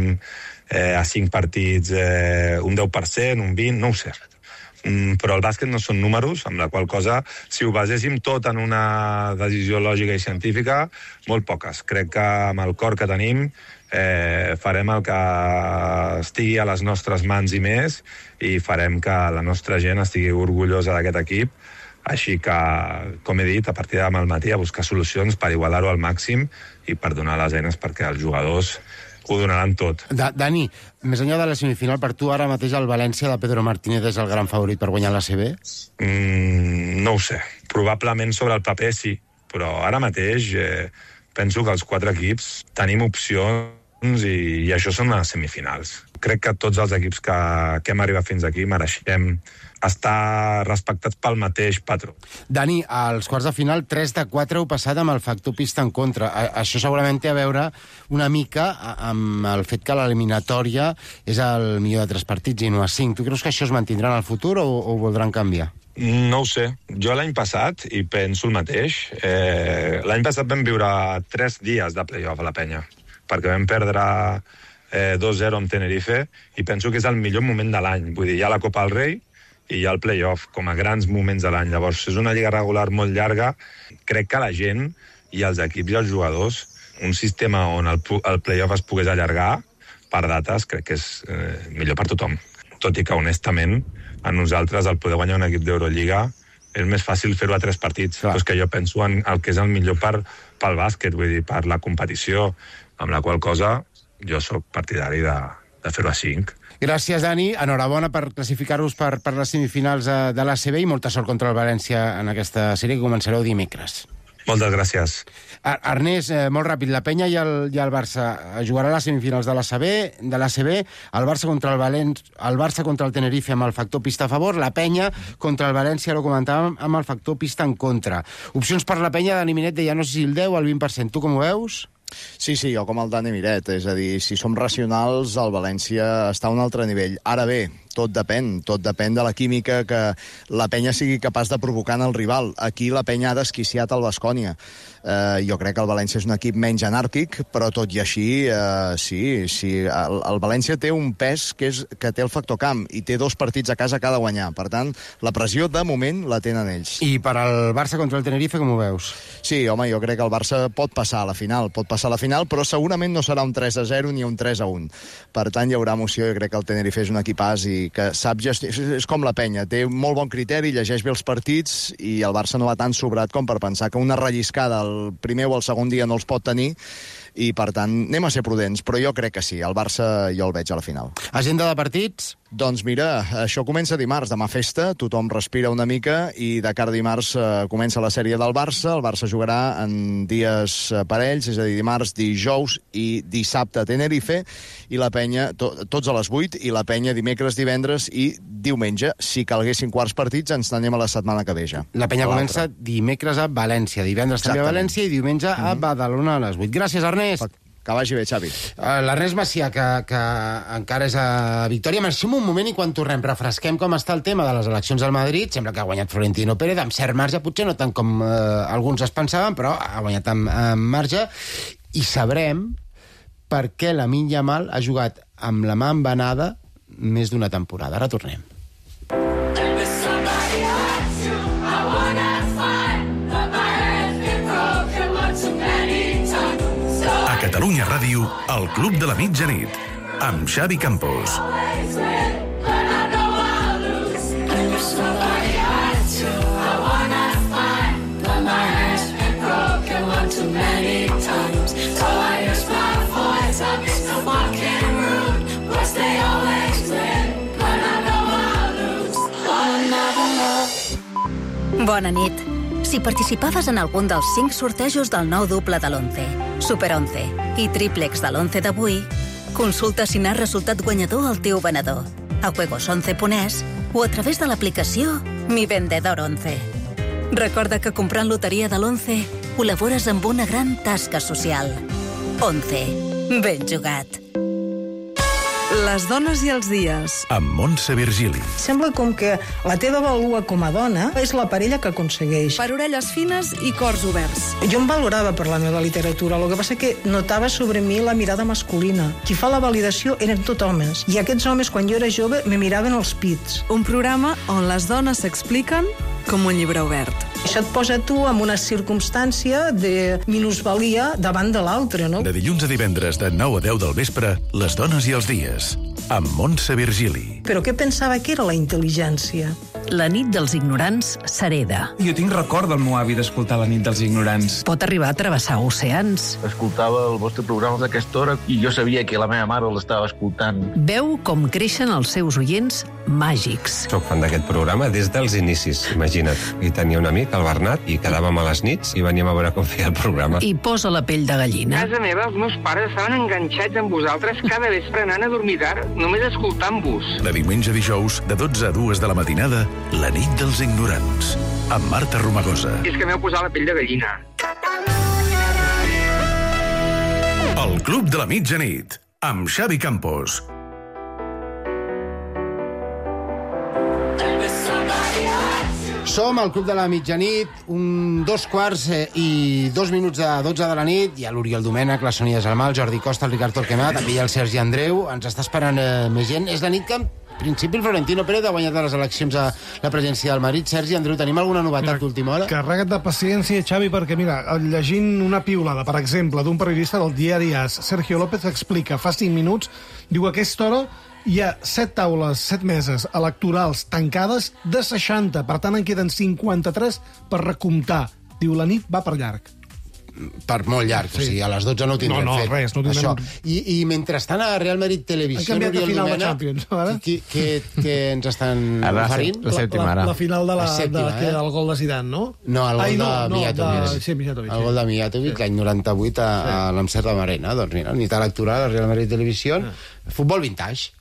a 5 partits un 10%, un 20%, no ho sé. Però el bàsquet no són números, amb la qual cosa, si ho baséssim tot en una decisió lògica i científica, molt poques. Crec que amb el cor que tenim farem el que estigui a les nostres mans i més, i farem que la nostra gent estigui orgullosa d'aquest equip. Així que, com he dit, a partir demà al matí a buscar solucions per igualar-ho al màxim i per donar les eines perquè els jugadors ho donaran tot. Dani, més enllà de la semifinal, per tu ara mateix el València de Pedro Martínez és el gran favorit per guanyar l'ACB? No ho sé. Probablement sobre el paper sí, però ara mateix penso que els 4 equips tenim opcions i això són les semifinals. Crec que tots els equips que hem arribat fins aquí mereixem estar respectats pel mateix patró. Dani, als quarts de final, 3 de 4 heu passat amb el factor pista en contra. Això segurament té a veure una mica amb el fet que l'eliminatòria és el millor de 3 partits i no a 5. Tu creus que això es mantindrà en el futur o ho voldran canviar? No ho sé. Jo l'any passat, i penso el mateix, l'any passat vam viure 3 dies de play-off a la penya, perquè vam perdre 2-0 amb Tenerife, i penso que és el millor moment de l'any. Vull dir, hi ha la Copa del Rei i hi ha el play-off, com a grans moments de l'any. Llavors, és una lliga regular molt llarga. Crec que la gent i els equips i els jugadors, un sistema on el play-off es pogués allargar per dates, crec que és millor per tothom. Tot i que, honestament, a nosaltres el poder guanyar un equip d'Eurolliga és més fàcil fer-ho a 3 partits. Però és que jo penso en el que és el millor pel bàsquet, vull dir, per la competició, amb la qual cosa jo sóc partidari de fer-ho a 5. Gràcies, Dani. Enhorabona per classificar-vos per les semifinals de l'ACB i molta sort contra el València en aquesta sèrie que començareu dimecres. Moltes gràcies. Ernest, molt ràpid, la Penya i el Barça jugarà a les semifinals de l'ACB, el Barça contra el Barça contra el Tenerife amb el factor pista a favor, la Penya contra el València, ho comentàvem, amb el factor pista en contra. Opcions per la Penya, Dani Miret deia no sé si el 10 o el 20%. Tu com ho veus? Sí, jo com el Dani Miret, és a dir, si som racionals, el València està a un altre nivell. Ara bé, tot depèn de la química que la Penya sigui capaç de provocar en el rival. Aquí la Penya ha desquiciat el Baskonia. Jo crec que el València és un equip menys anàrquic, però tot i així, sí. El València té un pes que té el factor camp i té 2 partits a casa que ha de guanyar. Per tant, la pressió, de moment, la tenen ells. I per al Barça contra el Tenerife, com ho veus? Sí, home, jo crec que el Barça pot passar a la final, però segurament no serà un 3-0 ni un 3-1. Per tant, hi haurà emoció. Jo crec que el Tenerife és un equipàs i que sap gestionar. És com la Penya, té molt bon criteri, llegeix bé els partits i el Barça no va tan sobrat com per pensar que una relliscada el primer o el segon dia no els pot tenir i, per tant, anem a ser prudents, però jo crec que sí, el Barça jo el veig a la final. Agenda de partits? Doncs mira, això comença dimarts, demà festa, tothom respira una mica i de cara a dimarts comença la sèrie del Barça. El Barça jugarà en dies parells, és a dir, dimarts, dijous i dissabte a Tenerife, i la Penya, tots a les 8, i la Penya dimecres, divendres i diumenge. Si calguessin quarts partits, ens n'anem a la setmana que ve ja. La Penya comença dimecres a València, divendres també a València i diumenge a Badalona a les 8. Gràcies, Ernest. Que vagi bé, Xavi. L'Ernest Macià, que encara és a Victòria. Marxem un moment i quan tornem refresquem com està el tema de les eleccions al Madrid. Sembla que ha guanyat Florentino Pérez, amb cert marge, potser no tant com alguns es pensaven, però ha guanyat amb marge. I sabrem per què Lamine Yamal ha jugat amb la mà embenada més d'una temporada. Ara tornem. A Catalunya Ràdio, el Club de la Mitjanit, amb Xavi Campos. Bona nit. Si participaves en algun dels 5 sortejos del nou doble de l'11, Super 11 i Triplex de l'11 d'avui, consulta si n'has resultat guanyador al teu venedor, a juegos11.es o a través de l'aplicació Mi Vendedor 11. Recorda que comprant loteria de l'11 col·labores amb una gran tasca social. 11. Ben jugat. Les dones i els dies. Amb Montse Virgili. Sembla com que la teva valua com a dona és la parella que aconsegueix. Per orelles fines i cors oberts. Jo em valorava per la meva literatura, el que passa que notava sobre mi la mirada masculina. Qui fa la validació eren tot homes. I aquests homes, quan jo era jove, me miraven els pits. Un programa on les dones s'expliquen com un llibre obert. Això et posa tu en una circumstància de minusvalia davant de l'altre, no? De dilluns a divendres de 9 a 10 del vespre, Les dones i els dies, amb Montse Virgili. Però què pensava que era la intel·ligència? La nit dels ignorants s'hereda. Jo tinc record del meu avi d'escoltar La nit dels ignorants. Pot arribar a travessar oceans. Escoltava el vostre programa d'aquesta hora i jo sabia que la meva mare l'estava escoltant. Veu com creixen els seus oients màgics. Soc fan d'aquest programa des dels inicis, imagina't. I tenia un amic, el Bernat, i quedàvem a les nits i veníem a veure com feia el programa. I posa la pell de gallina. A casa meva, els meus pares estaven enganxats amb vosaltres cada vespre anant a dormir tard, només escoltant-vos. De diumenge a dijous, de 12 a 2 de la matinada, La nit dels ignorants, amb Marta Romagosa. És que m'heu posat la pell de gallina. El Club de la Mitjanit, amb Xavi Campos. Som al Club de la Mitjanit, 2:02 de 12 de la nit. Hi ha l'Oriol Domènech, la Sònia Gelmà, el Jordi Costa, el Ricard Torquemada, també hi ha el Sergi Andreu. Ens està esperant més gent. És la nit que, en principi, el Florentino Pérez ha guanyat les eleccions a la presidència del Madrid. Sergi Andreu, tenim alguna novetat d'última hora? Carrega't de paciència, Xavi, perquè, mira, llegint una piulada, per exemple, d'un periodista del diari AS, Sergio López explica, fa 5 minuts, diu a aquesta hora hi ha 7 taules, 7 meses electorals tancades de 60. Per tant, en queden 53 per recomptar. Diu, la nit va per llarg. Per molt llarg, sí. O sigui, a les 12 no ho tindrem fet. Res, no tindrem... Això. I mentrestant a Real Madrid Televisió... Han canviat de final de Champions, ara? Què ens estan oferint? La sèptima, ara. La final del gol de Zidane, no? No, el gol de Mijatovic. Sí, Mijatovic. El gol de Mijatovic, l'any 98 a l'Amsterdam Arena. Doncs mira, nit electoral a Real Madrid Televisió. Futbol vintage.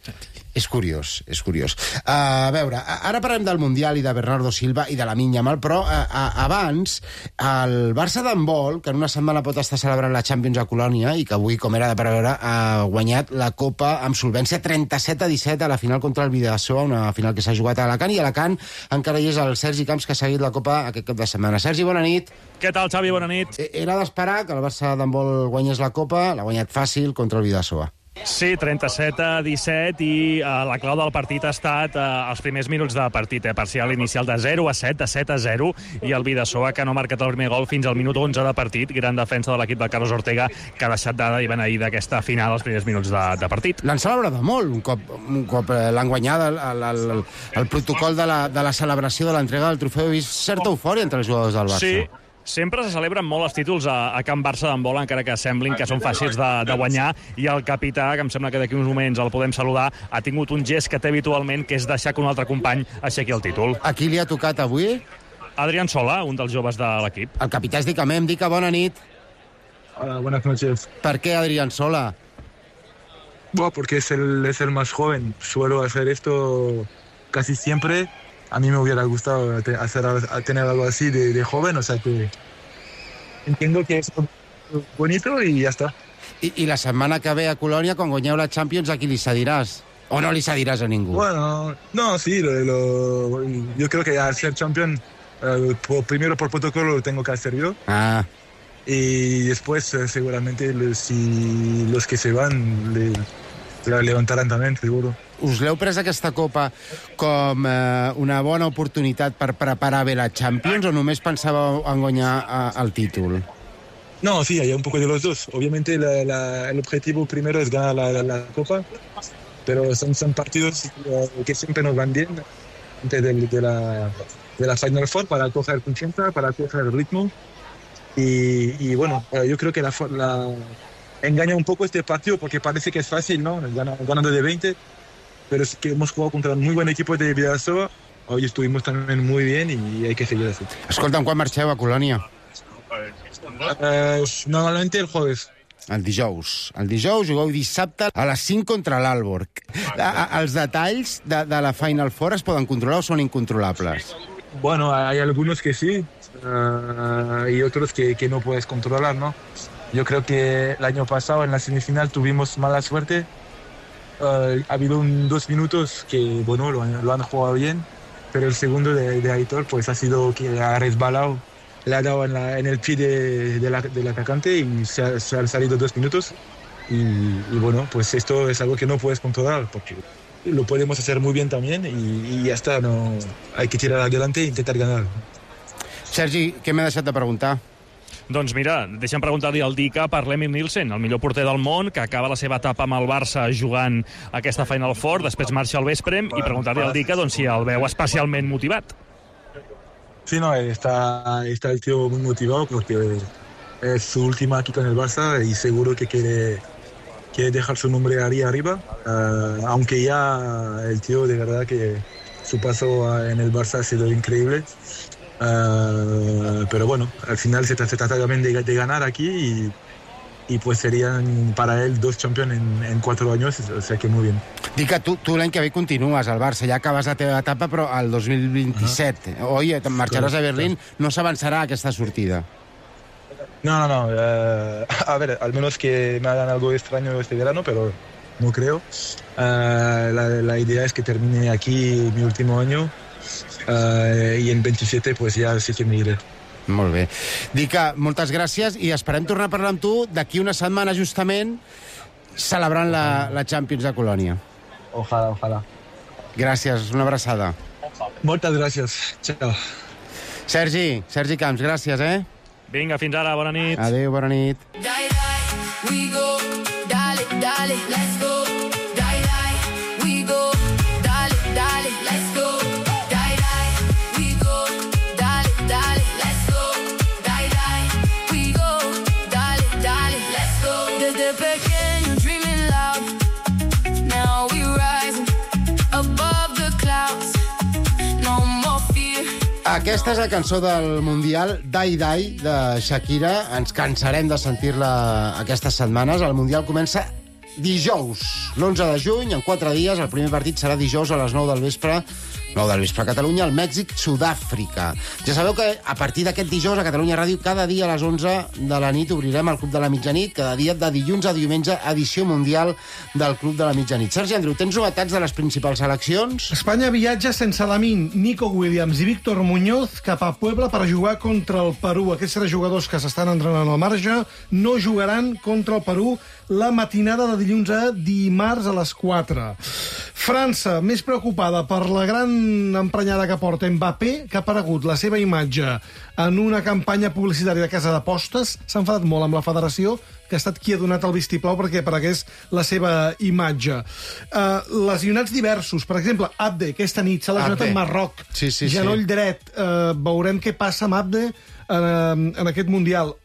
És curiós, és curiós. A veure, ara parlem del Mundial i de Bernardo Silva i de Lamine Yamal, però abans, el Barça d'handbol, que en una setmana pot estar celebrant la Champions a Colònia i que avui, com era de preveure, ha guanyat la Copa amb solvència 37-17 a la final contra el Bidasoa, una final que s'ha jugat a Alacant, i a Alacant encara hi és el Sergi Camps, que ha seguit la Copa aquest cap de setmana. Sergi, bona nit. Què tal, Xavi? Bona nit. Era d'esperar que el Barça d'handbol guanyés la Copa, l'ha guanyat fàcil contra el Bidasoa. Sí, 37-17 i la clau del partit ha estat els primers minuts de partit, parcial inicial de 0-7, de 7-0, i el Bidasoa, que no ha marcat el primer gol fins al minut 11 de partit, gran defensa de l'equip de Carlos Ortega, que ha deixat de beneir d'aquesta final els primers minuts de partit. L'han celebrat molt, un cop l'han guanyat, el protocol de la celebració de l'entrega del trofeu. He vist certa eufòria entre els jugadors del Barça. Sí. Sempre se celebren molt els títols a Camp Barça d'handbol, encara que semblin que són fàcils de guanyar, i el capità, que em sembla que d'aquí uns moments el podem saludar, ha tingut un gest que té habitualment, que és deixar que un altre company aixequi el títol. A qui li ha tocat avui? Adrián Sola, un dels joves de l'equip. El capità és Dicamem. Dica, bona nit. Hola, buenas noches. ¿Per qué Adrián Sola? Bueno, porque es el más joven. Suelo hacer esto casi siempre. A mí me hubiera gustado tener algo así de joven, o sea que entiendo que es bonito y ya está. I la setmana que ve a Colònia, quan guanyeu la Champions, a qui li cediràs? O no li cediràs a ningú? Bueno, no, sí, yo creo que al ser campeón, primero por protocolo lo tengo que hacer yo. Y después seguramente si los que se van la levantarán también, seguro. Us l'heu pres aquesta Copa com una bona oportunitat per preparar bé la Champions o només pensàveu en guanyar el títol? No, sí, hay un poco de los dos. Obviamente el objetivo primero es ganar la Copa, pero son partidos que siempre nos van bien antes de la Final Four para coger confianza, para coger el ritmo. Y bueno, yo creo que engaña un poco este partido porque parece que es fácil, ¿no? Ganando de 20, pero es que hemos jugado contra un muy buen equipo de Vidasoa. Hoy estuvimos también muy bien y hay que seguir así. Escolta'm, quan marxeu a Colònia? Normalmente el jueves. El dijous. El dijous jugueu dissabte a les 5 contra l'Alborg. Els detalls de la Final Four es poden controlar o són incontrolables? Bueno, hay algunos que sí y otros que no puedes controlar, ¿no? Yo creo que el año pasado en la semifinal tuvimos mala suerte. Ha habido 2 minutos que, bueno, lo han jugado bien, pero el segundo de Aitor pues ha sido que ha resbalado, le ha dado en el pie del atacante y se han salido 2 minutos. Y bueno, pues esto es algo que no puedes controlar porque lo podemos hacer muy bien también y ya está, no, hay que tirar adelante e intentar ganar. Sergi, què m'he deixat de preguntar? Doncs mira, deixa'm preguntar-li al Dica per l'Emil Nielsen, el millor porter del món, que acaba la seva etapa amb el Barça jugant aquesta Final Four, després marxa al vespre, i preguntar-li al Dica doncs, si el veu especialment motivat. Sí, no, está el tío muy motivado porque es su última aquí con el Barça y seguro que quiere dejar su nombre ahí arriba, aunque ya el tío de verdad que su paso en el Barça ha sido increíble. Pero bueno, al final se trata también de ganar aquí y pues serían para él 2 campeones en 4 años, o sea que muy bien. Dic que tu l'any que ve continues al Barça, ja acabes la teva etapa, però al 2027, oi? Marxaràs a Berlín, no s'avançarà aquesta sortida. No. A ver, al menos que me hagan algo extraño este verano, pero no creo. La idea es que termine aquí mi último año y en 27 pues ya sí que me iré. Molt bé. Dica, moltes gràcies i esperem tornar a parlar amb tu d'aquí una setmana justament celebrant la Champions de Colònia. Ojalá. Gràcies, una abraçada. Moltes gràcies. Ciao. Sergi Camps, gràcies, Vinga, fins ara, bona nit. Adéu, bona nit. We go, dale, let's go. We go, dale, let's go. We go, dale, let's go. We go, dale, let's go. Desde pequeño dreaming loud. Now we rising above the clouds. No more fear. Aquesta és la cançó del Mundial, Die Die, de Shakira. Ens cansarem de sentir-la aquestes setmanes. El Mundial comença dijous, l'11 de juny, en 4 dies. El primer partit serà dijous a les 9 del vespre a Catalunya, al Mèxic, Sud-àfrica. Ja sabeu que a partir d'aquest dijous a Catalunya Ràdio, cada dia a les 11 de la nit obrirem el Club de la Mitjanit, cada dia de dilluns a diumenge, edició mundial del Club de la Mitjanit. Sergi Andreu, tens novetats de les principals seleccions? Espanya viatja sense Lamine, Nico Williams i Víctor Muñoz cap a Puebla per jugar contra el Perú. Aquests 3 jugadors que s'estan entrenant al marge no jugaran contra el Perú la matinada de dilluns a dimarts a les 4. França, més preocupada per la gran emprenyada que porta Mbappé, que ha aparegut la seva imatge en una campanya publicitària de casa d'apostes. S'ha enfadat molt amb la federació, que ha estat qui ha donat el vistiplau perquè aparegués la seva imatge. Lesionats diversos. Per exemple, Abde, aquesta nit s'ha lesionat en Marroc. Sí. Genoll dret. Veurem què passa amb Abde en aquest Mundial.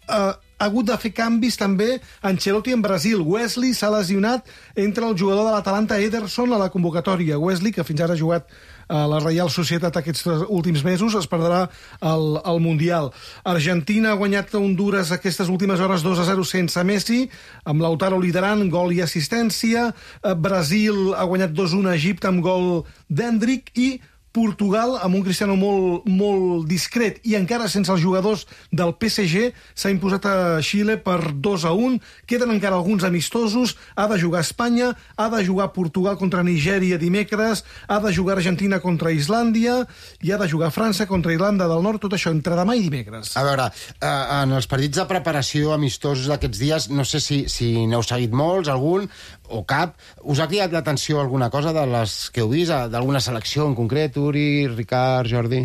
Ha hagut de fer canvis també Ancelotti en Brasil. Wesley s'ha lesionat, entre el jugador de l'Atalanta Ederson a la convocatòria. Wesley, que fins ara ha jugat a la Reial Societat aquests últims mesos, es perdrà el Mundial. Argentina ha guanyat a Honduras aquestes últimes hores 2-0 sense Messi, amb Lautaro liderant, gol i assistència. Brasil ha guanyat 2-1 a Egipte amb gol d'Hendrick i Portugal, amb un Cristiano molt discret i encara sense els jugadors del PSG, s'ha imposat a Xile per 2-1. Queden encara alguns amistosos. Ha de jugar Espanya, ha de jugar Portugal contra Nigèria dimecres, ha de jugar Argentina contra Islàndia i ha de jugar França contra Irlanda del Nord. Tot això entre demà i dimecres. A veure, en els partits de preparació amistosos d'aquests dies, no sé si n'heu seguit molts, algun o cap, us ha cridat l'atenció alguna cosa de les que heu vist, d'alguna selecció en concret, Uri, Ricard, Jordi?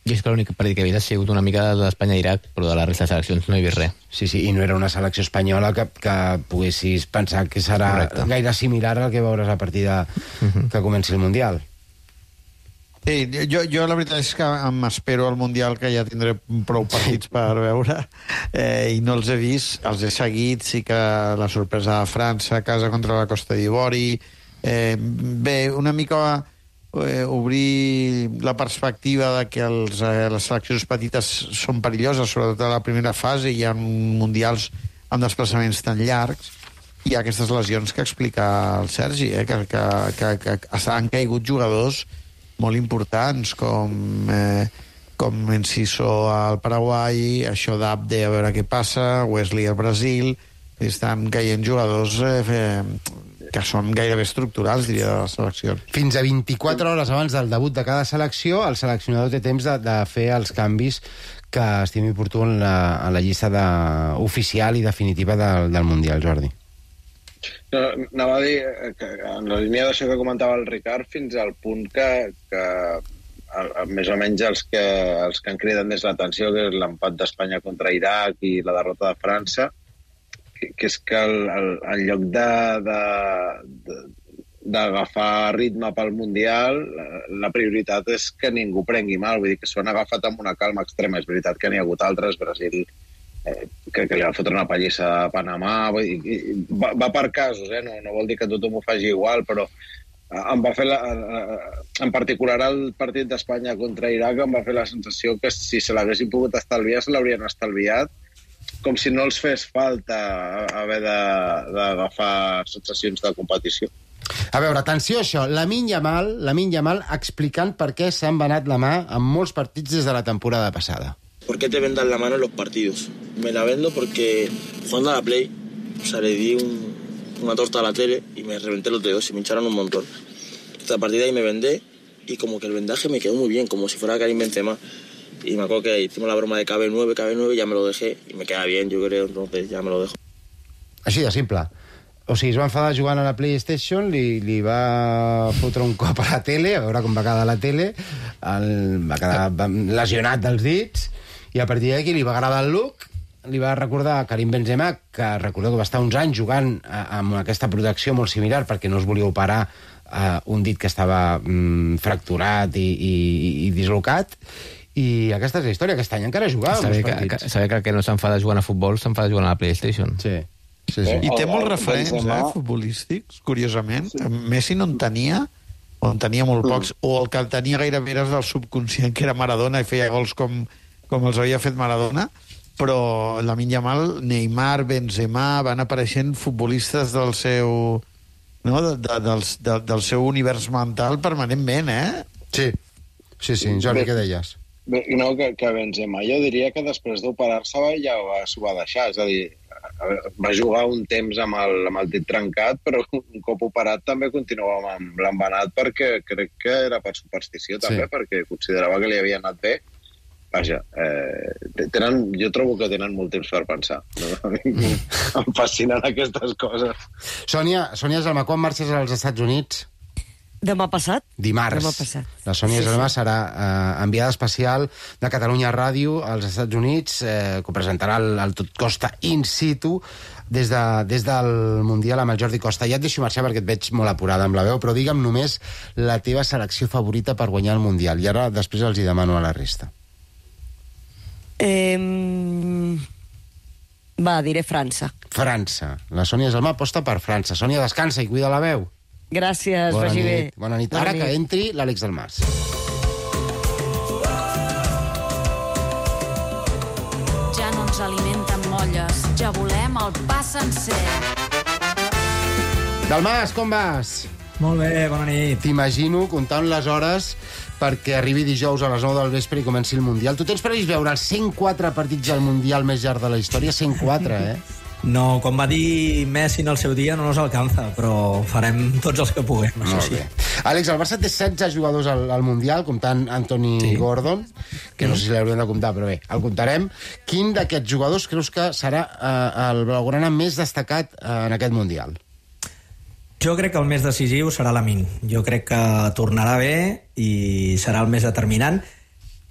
Jo és que l'únic partit que he vist ha sigut una mica de l'Espanya-Iraq, però de la resta de seleccions no he vist res. Sí, i no era una selecció espanyola que poguessis pensar que serà gaire similar al que veuràs a partir que comenci el Mundial. Sí, jo la veritat és que m'espero al Mundial, que ja tindré prou partits per veure, i no els he vist, els he seguit. Sí que la sorpresa de França a casa contra la Costa d'Ivori, bé, una mica obrir la perspectiva de que les seleccions petites són perilloses, sobretot a la primera fase. Hi ha mundials amb desplaçaments tan llargs, i hi ha aquestes lesions que explica el Sergi, que han caigut jugadors molt importants, com Enciso al Paraguai, això d'Abde a veure què passa, Wesley al Brasil. Estan caient jugadors que són gairebé estructurals, diria, de les seleccions. Fins a 24 hores abans del debut de cada selecció, el seleccionador té temps de fer els canvis que estimi oportú en la llista oficial i definitiva del Mundial, Jordi. No, anava a dir que en la línia d'això que comentava el Ricard, fins al punt que més o menys els que han cridat més l'atenció, que és l'empat d'Espanya contra Iraq i la derrota de França, que és que en lloc d'agafar ritme pel Mundial, la prioritat és que ningú prengui mal. Vull dir que s'ho han agafat amb una calma extrema. És veritat que n'hi ha hagut altres, Brasil, que li va fotre una pallissa a Panamà. Va per casos, no vol dir que tothom ho faci igual, però em va fer en particular el partit d'Espanya contra Iraq em va fer la sensació que si se l'haguessin pogut estalviar, se l'haurien estalviat, com si no els fes falta haver d'agafar sensacions de competició. A veure, atenció a això, Lamine Yamal explicant per què s'han venat la mà en molts partits des de la temporada passada. ¿Por qué te vendan la mano en los partidos? Me la vendo porque jugando a la Play, o sea, le di una torta a la tele y me reventé los dedos y me hincharon un montón. Entonces, a partir de ahí me vendé y como que el vendaje me quedó muy bien, como si fuera Karim Benzema. Y me acuerdo que hicimos la broma de KB9, ya me lo dejé y me queda bien, yo creo, entonces ya me lo dejo. Així de simple. O sigui, es va enfadar jugant a la PlayStation, li va fotre un cop a la tele, a veure com va quedar la tele, va quedar lesionat dels dits, i a partir d'aquí li va agradar el look, li va recordar a Karim Benzema, que recordeu que va estar uns anys jugant amb aquesta protecció molt similar perquè no es volia operar un dit que estava fracturat i dislocat, i aquesta és la història. Aquest any encara jugava saber que no s'enfada jugant a futbol, s'enfada jugant a la PlayStation. Sí. I té molts referents futbolístics, curiosament. Messi no en tenia, o en tenia molt pocs, o el que el tenia gairebé era del subconscient, que era Maradona, i feia gols com els havia fet Maradona, però Lamine Yamal, Neymar, Benzema, van apareixent futbolistes del seu univers mental permanentment, Sí, Jordi, què deies? No, que Benzema, jo diria que després d'operar-se ja s'ho va deixar, és a dir, va jugar un temps amb el dit trencat, però un cop operat també continuava amb l'embenat, perquè crec que era per superstició també, perquè considerava que li havia anat bé. Vaja, jo trobo que tenen molt temps per pensar. Em fascinen aquestes coses. Sònia Gelmà, quan marxes als Estats Units? Demà passat? Dimarts. Demà passat. La Sònia Gelmà serà enviada especial de Catalunya Ràdio als Estats Units, que presentarà el Tot Costa in situ des del Mundial amb el Jordi Costa. Ja et deixo marxar perquè et veig molt apurada amb la veu, però digue'm només la teva selecció favorita per guanyar el Mundial. I ara després els hi demano a la resta. Diré França. França. La Sònia Gelmà aposta per França. Sònia, descansa i cuida la veu. Gràcies, vagi bé. Bona nit. Ara que entri l'Àlex Dalmàs. Ja no ens alimenten molles, ja volem el pa sencer. Dalmàs, com vas? Molt bé, bona nit. T'imagino comptant les hores perquè arribi dijous a les 9 del vespre i comenci el Mundial. Tu tens previst veure els 104 partits del Mundial més llarg de la història? 104, No, com va dir Messi en el seu dia, no nos alcanza, però farem tots els que puguem, això sí. Àlex, el Barça té 16 jugadors al Mundial, comptant Anthony Gordon, que no sé si l'haurem de comptar, però bé, el comptarem. Quin d'aquests jugadors creus que serà el blaugrana més destacat en aquest Mundial? Jo crec que el més decisiu serà Lamine. Jo crec que tornarà bé i serà el més determinant.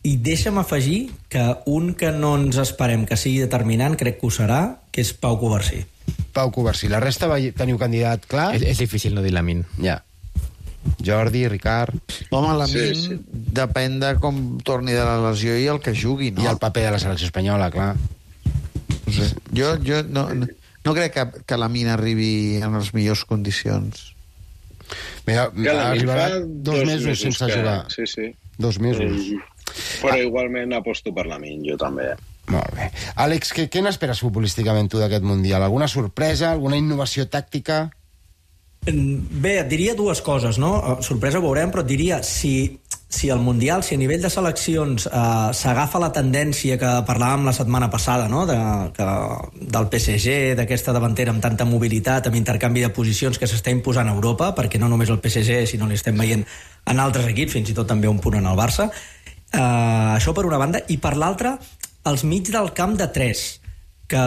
I deixa'm afegir que un que no ens esperem que sigui determinant, crec que ho serà, que és Pau Covarsí. Pau Covarsí. La resta teniu candidat clar? És difícil no dir Lamine. Ja. Jordi, Ricard... Home, Lamine depèn de com torni de la lesió i el que jugui, no? I el paper de la selecció espanyola, clar. No sé. Jo no crec que Lamine arribi en les millors condicions. Mira, arribarà 2 mesos sense jugar. Sí. 2 mesos. Però igualment aposto per Lamine, jo també. Molt bé. Àlex, què n'esperes futbolísticament tu d'aquest Mundial? Alguna sorpresa? Alguna innovació tàctica? Bé, et diria dues coses, no? Sorpresa ho veurem, però et diria si el Mundial, si a nivell de seleccions s'agafa la tendència que parlàvem la setmana passada, no? Del PSG, d'aquesta davantera amb tanta mobilitat, amb intercanvi de posicions que s'està imposant a Europa, perquè no només el PSG, sinó l'estem veient en altres equips, fins i tot també un punt en el Barça. Això per una banda. I per l'altra, els mig del camp de 3, que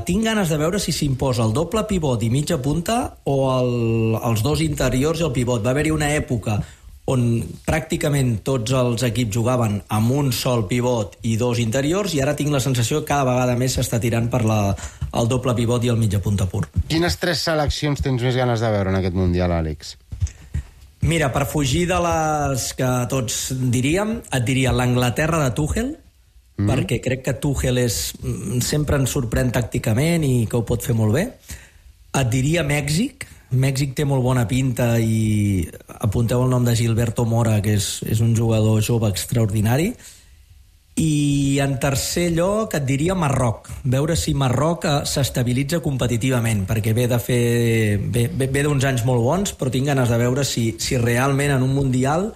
tinc ganes de veure si s'imposa el doble pivot i mitja punta o els dos interiors i el pivot. Va haver-hi una època on pràcticament tots els equips jugaven amb un sol pivot i 2 interiors, i ara tinc la sensació que cada vegada més s'està tirant per el doble pivot i el mitja punta pur. Quines 3 seleccions tens més ganes de veure en aquest Mundial, Àlex? Mira, per fugir de les que tots diríem, et diria l'Anglaterra de Tuchel, perquè crec que Tuchel sempre ens sorprèn tàcticament i que ho pot fer molt bé. Et diria Mèxic. Mèxic té molt bona pinta i apunteu el nom de Gilberto Mora, que és un jugador jove extraordinari. I en tercer lloc et diria Marroc. Veure si Marroc s'estabilitza competitivament, perquè ve d'uns anys molt bons, però tinc ganes de veure si realment en un Mundial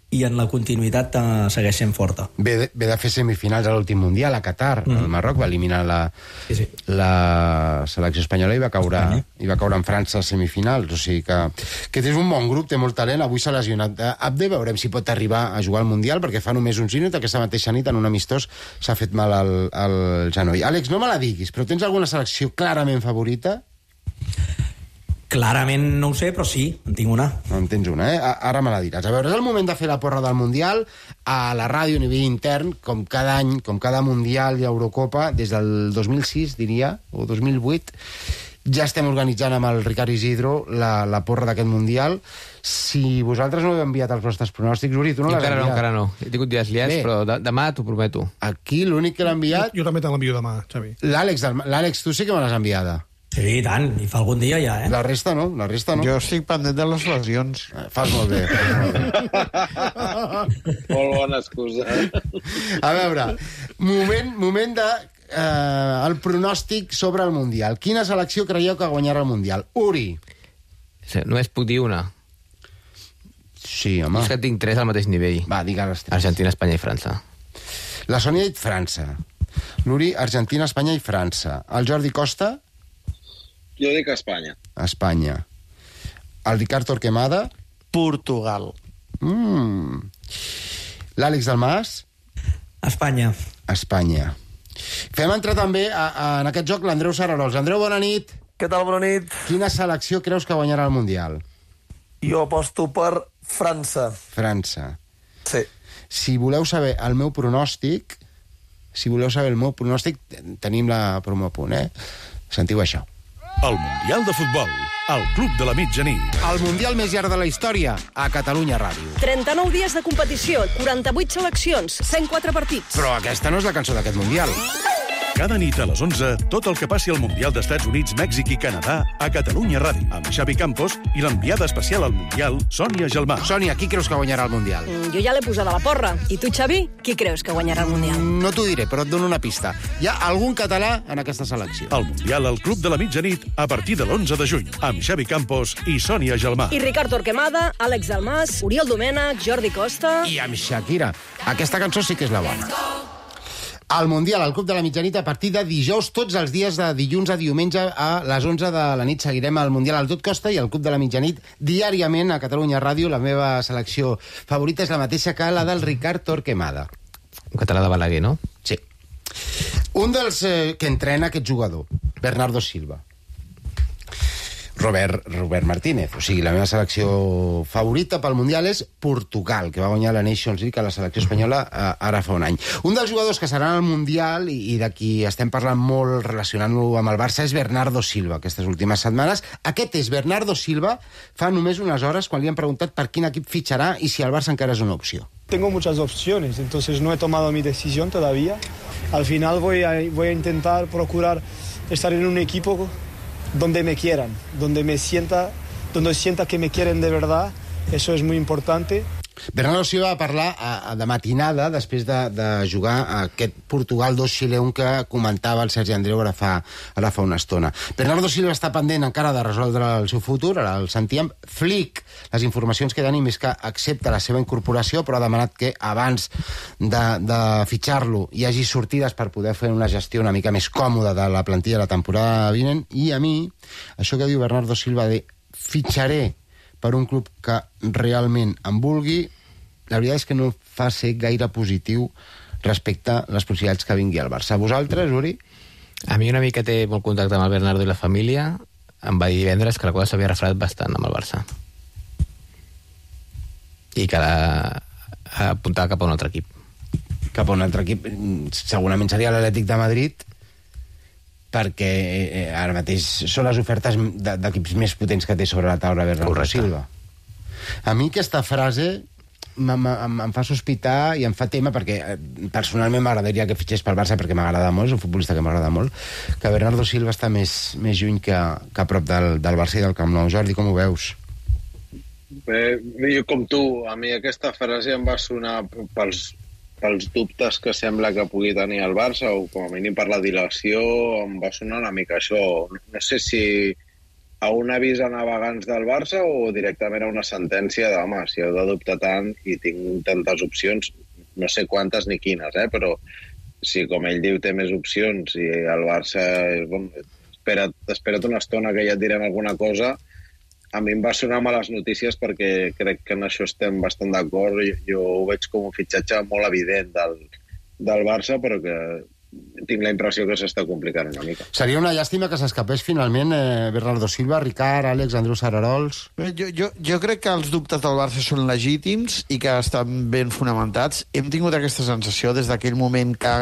i en la continuïtat segueix sent forta. Ve de fer semifinals a l'últim Mundial a Qatar. El Marroc va eliminar la selecció espanyola i va caure en França a semifinals. O sigui que és un bon grup, té molt talent. Avui s'ha lesionat Abde, veurem si pot arribar a jugar al Mundial, perquè fa només uns minuts, aquesta mateixa nit, en un amistós, s'ha fet mal al genoll. Àlex, no me la diguis, però tens alguna selecció clarament favorita? Clarament no ho sé, però sí, en tinc una. En tens una, Ara me la diràs. A veure, és el moment de fer la porra del Mundial a la ràdio a nivell intern, com cada any, com cada Mundial i Eurocopa, des del 2006, diria, o 2008, ja estem organitzant amb el Ricard Isidro la porra d'aquest Mundial. Si vosaltres no heu enviat els vostres pronòstics, Uri, tu no l'has enviat? Encara no. He tingut dies liats, però demà t'ho prometo. Aquí l'únic que l'ha enviat... Jo també te l'envio demà, Xavi. L'Àlex, tu sí que me l'has enviada. Sí, tant, i fa algun dia ja, La resta no. Jo estic pendent de les lesions. Fas molt bé. Molt bona excusa. A veure, moment de el pronòstic sobre el Mundial. Quina selecció creieu que guanyarà el Mundial? Uri. Només puc dir una. Sí, home. És que tinc 3 al mateix nivell. Va, digues 3. Argentina, Espanya i França. La Sònia ha dit França. L'Uri, Argentina, Espanya i França. El Jordi Costa... Jo dic Espanya. Espanya. El Ricard Torquemada? Portugal. L'Àlex Dalmas? Espanya. Espanya. Fem entrar també en aquest joc l'Andreu Sararols. Andreu, bona nit. Què tal, bona nit? Quina selecció creus que guanyarà el Mundial? Jo aposto per França. França. Sí. Si voleu saber el meu pronòstic, tenim la promo a punt, Sentiu això. El Mundial de Futbol, al Club de la Mitjanit. El Mundial més llarg de la història, a Catalunya Ràdio. 39 dies de competició, 48 seleccions, 104 partits. Però aquesta no és la cançó d'aquest Mundial. Cada nit a les 11, tot el que passi al Mundial d'Estats Units, Mèxic i Canadà a Catalunya Ràdio, amb Xavi Campos i l'enviada especial al Mundial, Sònia Gelmà. Sònia, qui creus que guanyarà el Mundial? Jo ja l'he posada a la porra. I tu, Xavi, qui creus que guanyarà el Mundial? No t'ho diré, però et dono una pista. Hi ha algun català en aquesta selecció. El Mundial al Club de la Mitjanit a partir de l'11 de juny, amb Xavi Campos i Sònia Gelmà. I Ricard Torquemada, Àlex Dalmàs, Oriol Domènech, Jordi Costa... I amb Shakira. Aquesta cançó sí que és la bona. El Mundial al Club de la Mitjanit a partir de dijous, tots els dies de dilluns a diumenge a les 11 de la nit. Seguirem el Mundial al Tot Costa i el Club de la Mitjanit diàriament a Catalunya Ràdio. La meva selecció favorita és la mateixa que la del Ricard Torquemada. Un català de Balaguer, no? Sí. Un dels que entrena aquest jugador, Bernardo Silva. Robert Martínez. O sigui, la meva selecció favorita pel Mundial és Portugal, que va guanyar la Nations League a la selecció espanyola ara fa un any. Un dels jugadors que seran al Mundial i de qui estem parlant molt relacionant-lo amb el Barça és Bernardo Silva, aquestes últimes setmanes. Aquest és Bernardo Silva fa només unes hores quan li han preguntat per quin equip fitxarà i si el Barça encara és una opció. Tengo muchas opciones, entonces no he tomado mi decisión todavía. Al final voy a intentar procurar estar en un equipo donde me quieran, donde sienta que me quieren de verdad. Eso es muy importante. Bernardo Silva va parlar de matinada després de jugar a aquest Portugal 2 Xile 1 que comentava el Sergi Andreu ara fa una estona. Bernardo Silva està pendent encara de resoldre el seu futur, ara el sentíem. Flick, les informacions que tenim és que accepta la seva incorporació, però ha demanat que abans de fitxar-lo hi hagi sortides per poder fer una gestió una mica més còmoda de la plantilla de la temporada vinent. I a mi, això que diu Bernardo Silva de fitxaré per un club que realment em vulgui, la veritat és que no fa ser gaire positiu respecte a les possibilitats que vingui al Barça. Vosaltres, Uri? A mi una mica té molt contacte amb el Bernardo i la família. Em va dir divendres que la cosa s'havia refredat bastant amb el Barça. I que apuntava cap a un altre equip. Cap a un altre equip. Segurament seria l'Atlètic de Madrid, perquè ara mateix són les ofertes d'equips més potents que té sobre la taula Bernardo Silva. A mi aquesta frase em fa sospitar i em fa tema, perquè personalment m'agradaria que fitxés pel Barça, perquè m'agrada molt, és un futbolista que m'agrada molt, que Bernardo Silva està més lluny que a prop del Barça i del Camp Nou. Jordi, com ho veus? Bé, jo com tu, a mi aquesta frase em va sonar pels dubtes que sembla que pugui tenir el Barça, o com a mínim per la dilació, em va sonar una mica això. No sé si a un avís a navegants del Barça o directament a una sentència de, home, si heu de dubtar tant i tinc tantes opcions, no sé quantes ni quines, però si, com ell diu, té més opcions i el Barça, espera't una estona que ja et direm alguna cosa. A mi em va sonar males notícies perquè crec que en això estem bastant d'acord. Jo ho veig com un fitxatge molt evident del Barça, però que tinc la impressió que s'està complicant una mica. Seria una llàstima que s'escapés finalment Bernardo Silva, Ricard, Àlex, Andreu Sararols... Jo crec que els dubtes del Barça són legítims i que estan ben fonamentats. Hem tingut aquesta sensació des d'aquell moment que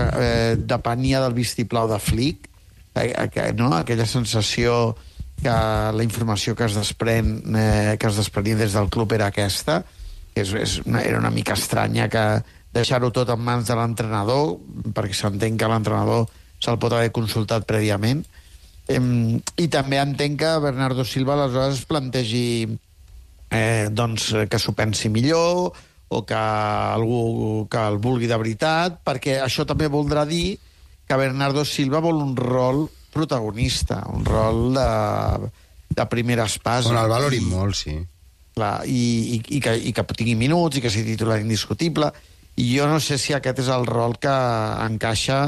depenia del vistiplau de Flick, no? Aquella sensació que la informació que es desprenia des del club era aquesta, que era una mica estranya que deixar-ho tot en mans de l'entrenador, perquè s'entén que l'entrenador se'l pot haver consultat prèviament. I també entenc que Bernardo Silva aleshores es plantegi que s'ho pensi millor o que algú que el vulgui de veritat, perquè això també voldrà dir que Bernardo Silva vol un rol protagonista, un rol de primera espasa. On el valorin molt, sí. Clar, i que tingui minuts i que sigui titular indiscutible. I jo no sé si aquest és el rol que encaixa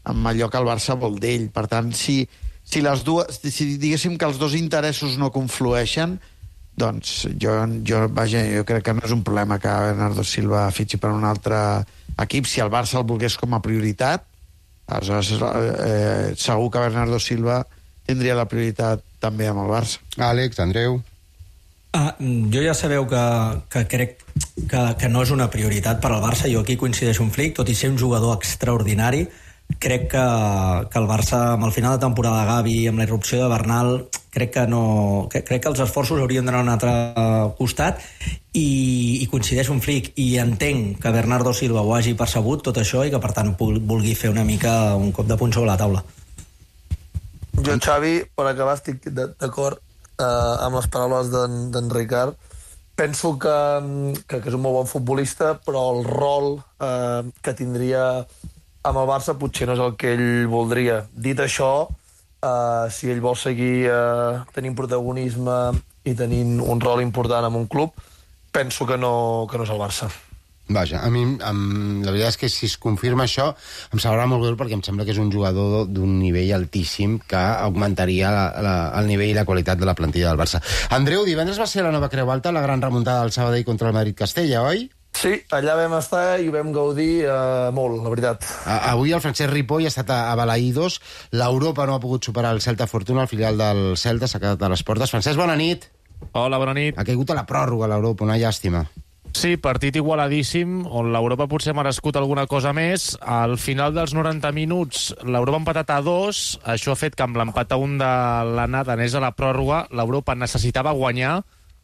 amb allò que el Barça vol d'ell. Per tant, si diguéssim que els dos interessos no conflueixen, doncs jo crec que no és un problema que Bernardo Silva fitxi per un altre equip. Si el Barça el volgués com a prioritat, aleshores segur que Bernardo Silva tindria la prioritat també amb el Barça. Àlex, Andreu... Jo ja sabeu que crec que no és una prioritat per al Barça. Jo aquí coincideixo amb Flick, tot i ser un jugador extraordinari. Crec que el Barça, amb el final de temporada de Gavi, amb la irrupció de Bernal, crec que els esforços haurien d'anar a un altre costat i coincideix un Flick, i entenc que Bernardo Silva ho hagi percebut tot això i que per tant vulgui fer una mica un cop de puny sobre la taula. Jo, Xavi, per acabar, estic d'acord amb les paraules d'en Ricard. Penso que és un molt bon futbolista, però el rol que tindria amb el Barça potser no és el que ell voldria. Dit això, si ell vol seguir tenint protagonisme i tenint un rol important en un club, penso que no és el Barça. Vaja, a mi la veritat és que si es confirma això em sabrà molt greu perquè em sembla que és un jugador d'un nivell altíssim que augmentaria el nivell i la qualitat de la plantilla del Barça. Andreu, divendres va ser la nova Creu Alta, la gran remuntada del Sabadell contra el Madrid-Castella, oi? Sí, allà vam estar i ho vam gaudir molt, la veritat. Avui el Francesc Ripoll ha estat a Balaïdos. L'Europa no ha pogut superar el Celta Fortuna, el filial del Celta s'ha quedat a les portes. Francesc, bona nit. Hola, bona nit. Ha caigut a la pròrroga l'Europa, una llàstima. Sí, partit igualadíssim, on l'Europa potser ha merescut alguna cosa més. Al final dels 90 minuts, l'Europa ha empatat a 2. Això ha fet que amb l'empat a 1 de l'anada anés a la pròrroga. L'Europa necessitava guanyar,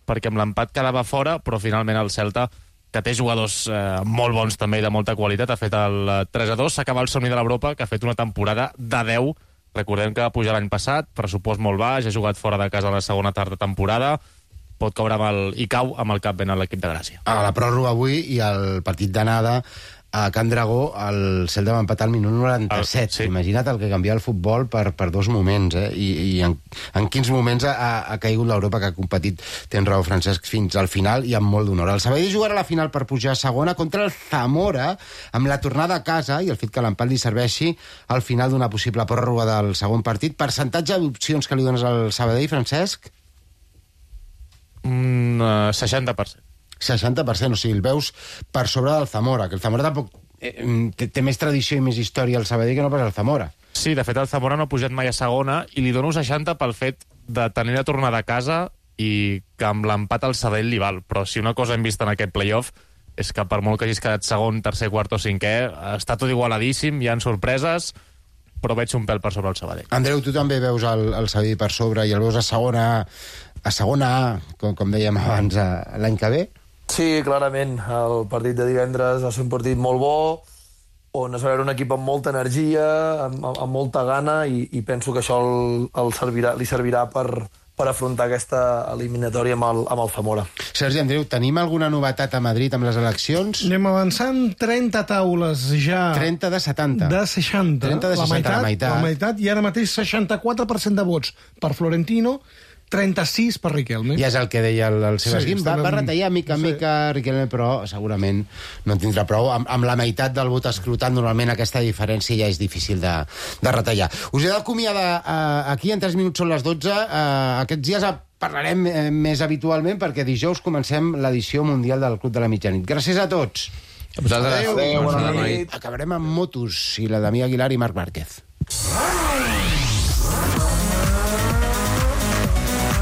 perquè amb l'empat quedava fora, però finalment el Celta, que té jugadors molt bons també i de molta qualitat, ha fet el 3-2. S'acaba el somni de l'Europa, que ha fet una temporada de 10. Recordem que va pujar l'any passat, pressupost molt baix, ha jugat fora de casa a la segona temporada, pot caure i cau amb el cap ben a l'equip de Gràcia. A la pròrroga avui i el partit d'anada a Can Dragó, el Celta va empatar al minut 97. Sí. Imagina't el que canvia el futbol per dos moments, i en quins moments ha caigut l'Europa, que ha competit, tens raó, Francesc, fins al final i amb molt d'honor. El Sabadell jugarà a la final per pujar a segona contra el Zamora, amb la tornada a casa i el fet que l'empat li serveixi al final d'una possible pròrroga del segon partit. Percentatge d'opcions que li dones al Sabadell, Francesc? 60%. 60%, o sigui, el veus per sobre del Zamora, que el Zamora tampoc té més tradició i més història al Sabadell que no pas el Zamora. Sí, de fet el Zamora no ha pujat mai a segona i li dono 60 pel fet de tenir la tornada a casa i que amb l'empat al Sabadell li val, però si una cosa hem vist en aquest playoff és que per molt que hagis quedat segon, tercer, quart o cinquè, està tot igualadíssim, hi ha sorpreses, però veig un pèl per sobre el Sabadell. Andreu, tu també veus el Sabadell per sobre i el veus a segona A, com dèiem abans, l'any que ve? Sí, clarament. El partit de divendres va ser un partit molt bo, on es va veure un equip amb molta energia, amb molta gana, i penso que això li servirà per afrontar aquesta eliminatòria amb el Zamora. Sergi, Andreu, tenim alguna novetat a Madrid amb les eleccions? Anem avançant, 30 taules ja. 30 de 70. De 60. 30 de 60, la meitat, i ara mateix 64% de vots per Florentino, 36 per Riquelme. Ja és el que deia el Sebas Guim. Va retallar mica en mica Riquelme, però segurament no en tindrà prou. Amb la meitat del vot escrutat, normalment aquesta diferència ja és difícil de retallar. Us he d'acomiadar aquí, en 3 minuts són les 12. Aquests dies parlarem més habitualment perquè dijous comencem l'edició mundial del Club de la Mitjanit. Gràcies a tots. Adéu. Bona nit. Acabarem amb motos i la Damià Aguilar i Marc Márquez.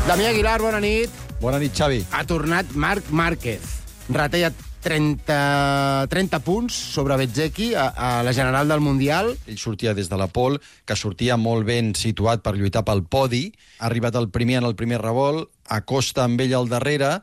Damià Aguilar, bona nit. Bona nit, Xavi. Ha tornat Marc Márquez. Retalla 30 punts sobre Bezzecchi a la general del Mundial. Ell sortia des de la pole, que sortia molt ben situat per lluitar pel podi. Ha arribat el primer en el primer revolt, acosta amb ell al darrere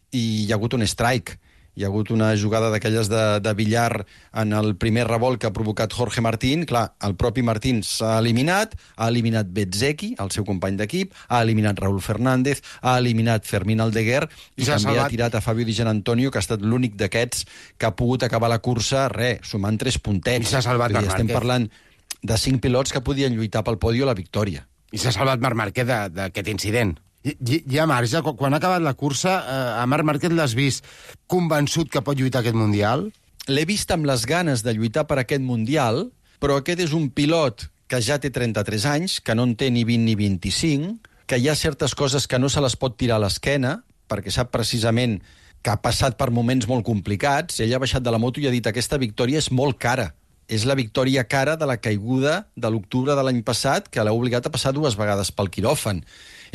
i hi ha hagut un strike. Hi ha hagut una jugada d'aquelles de billar en el primer revolt que ha provocat Jorge Martín. Clar, el propi Martín s'ha eliminat, ha eliminat Bezzecchi, el seu company d'equip, ha eliminat Raúl Fernández, ha eliminat Fermín Aldeguer i també ha tirat a Fabio Di Giannantonio, que ha estat l'únic d'aquests que ha pogut acabar la cursa, sumant 3 puntets. I s'ha salvat Marc Márquez. Estem parlant de 5 pilots que podien lluitar pel podi o la victòria. I s'ha salvat Marc Márquez d'aquest incident. Hi ha marge. Quan ha acabat la cursa, a Marc Márquez l'has vist convençut que pot lluitar aquest Mundial? L'he vist amb les ganes de lluitar per aquest Mundial, però aquest és un pilot que ja té 33 anys, que no en té ni 20 ni 25, que hi ha certes coses que no se les pot tirar a l'esquena, perquè sap precisament que ha passat per moments molt complicats. Ell ha baixat de la moto i ha dit que aquesta victòria és molt cara. És la victòria cara de la caiguda de l'octubre de l'any passat, que l'ha obligat a passar 2 vegades pel quiròfan.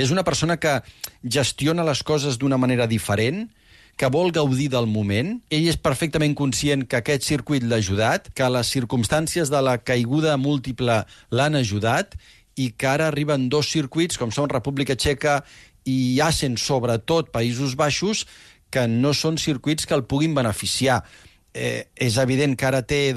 És una persona que gestiona les coses d'una manera diferent, que vol gaudir del moment. Ell és perfectament conscient que aquest circuit l'ha ajudat, que les circumstàncies de la caiguda múltiple l'han ajudat i que ara arriben 2 circuits, com són República Txeca i Assen, sobretot Països Baixos, que no són circuits que el puguin beneficiar. És evident que ara té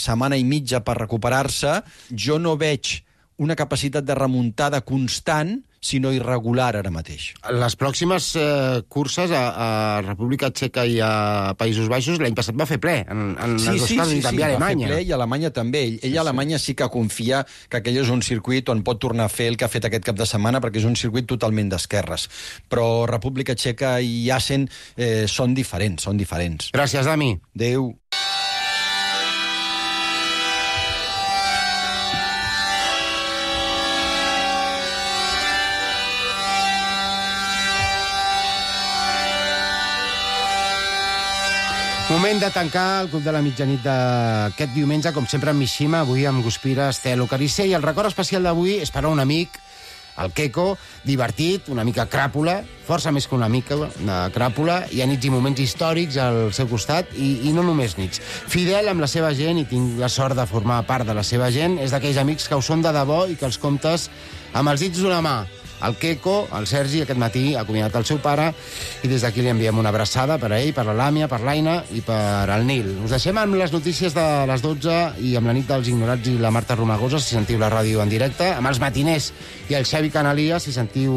setmana i mitja per recuperar-se. Jo no veig una capacitat de remuntada constant, sinó irregular ara mateix. Les pròximes curses a República Txeca i a Països Baixos l'any passat va fer ple, en els dos casos, i també a Alemanya. Va fer ple, i a Alemanya també. Ell a Alemanya sí que confia que aquell és un circuit on pot tornar a fer el que ha fet aquest cap de setmana, perquè és un circuit totalment d'esquerres. Però República Txeca i Assen són diferents, són diferents. Gràcies, Dami. Adéu. Moment de tancar el Club de la Mitjanit d'aquest diumenge, com sempre amb Mishima, avui amb Guspira, Estelo, Carissé, i el record especial d'avui és per a un amic, el Queco, divertit, una mica cràpula, força més que una mica de cràpula, hi ha nits i moments històrics al seu costat, i no només nits. Fidel amb la seva gent, i tinc la sort de formar part de la seva gent, és d'aquells amics que ho són de debò i que els comptes amb els dits d'una mà. El Queco, el Sergi, aquest matí ha acomiadat el seu pare, i des d'aquí li enviem una abraçada per a ell, per la Làmia, per l'Aina i per al Nil. Us deixem amb les notícies de les 12 i amb la nit dels ignorats i la Marta Romagosa, si sentiu la ràdio en directe, amb els matiners i el Xavi Canalia, si sentiu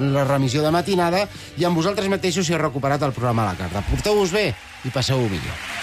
la remissió de matinada, i amb vosaltres mateixos si heu recuperat el programa a la carta. Porteu-vos bé i passeu-ho millor.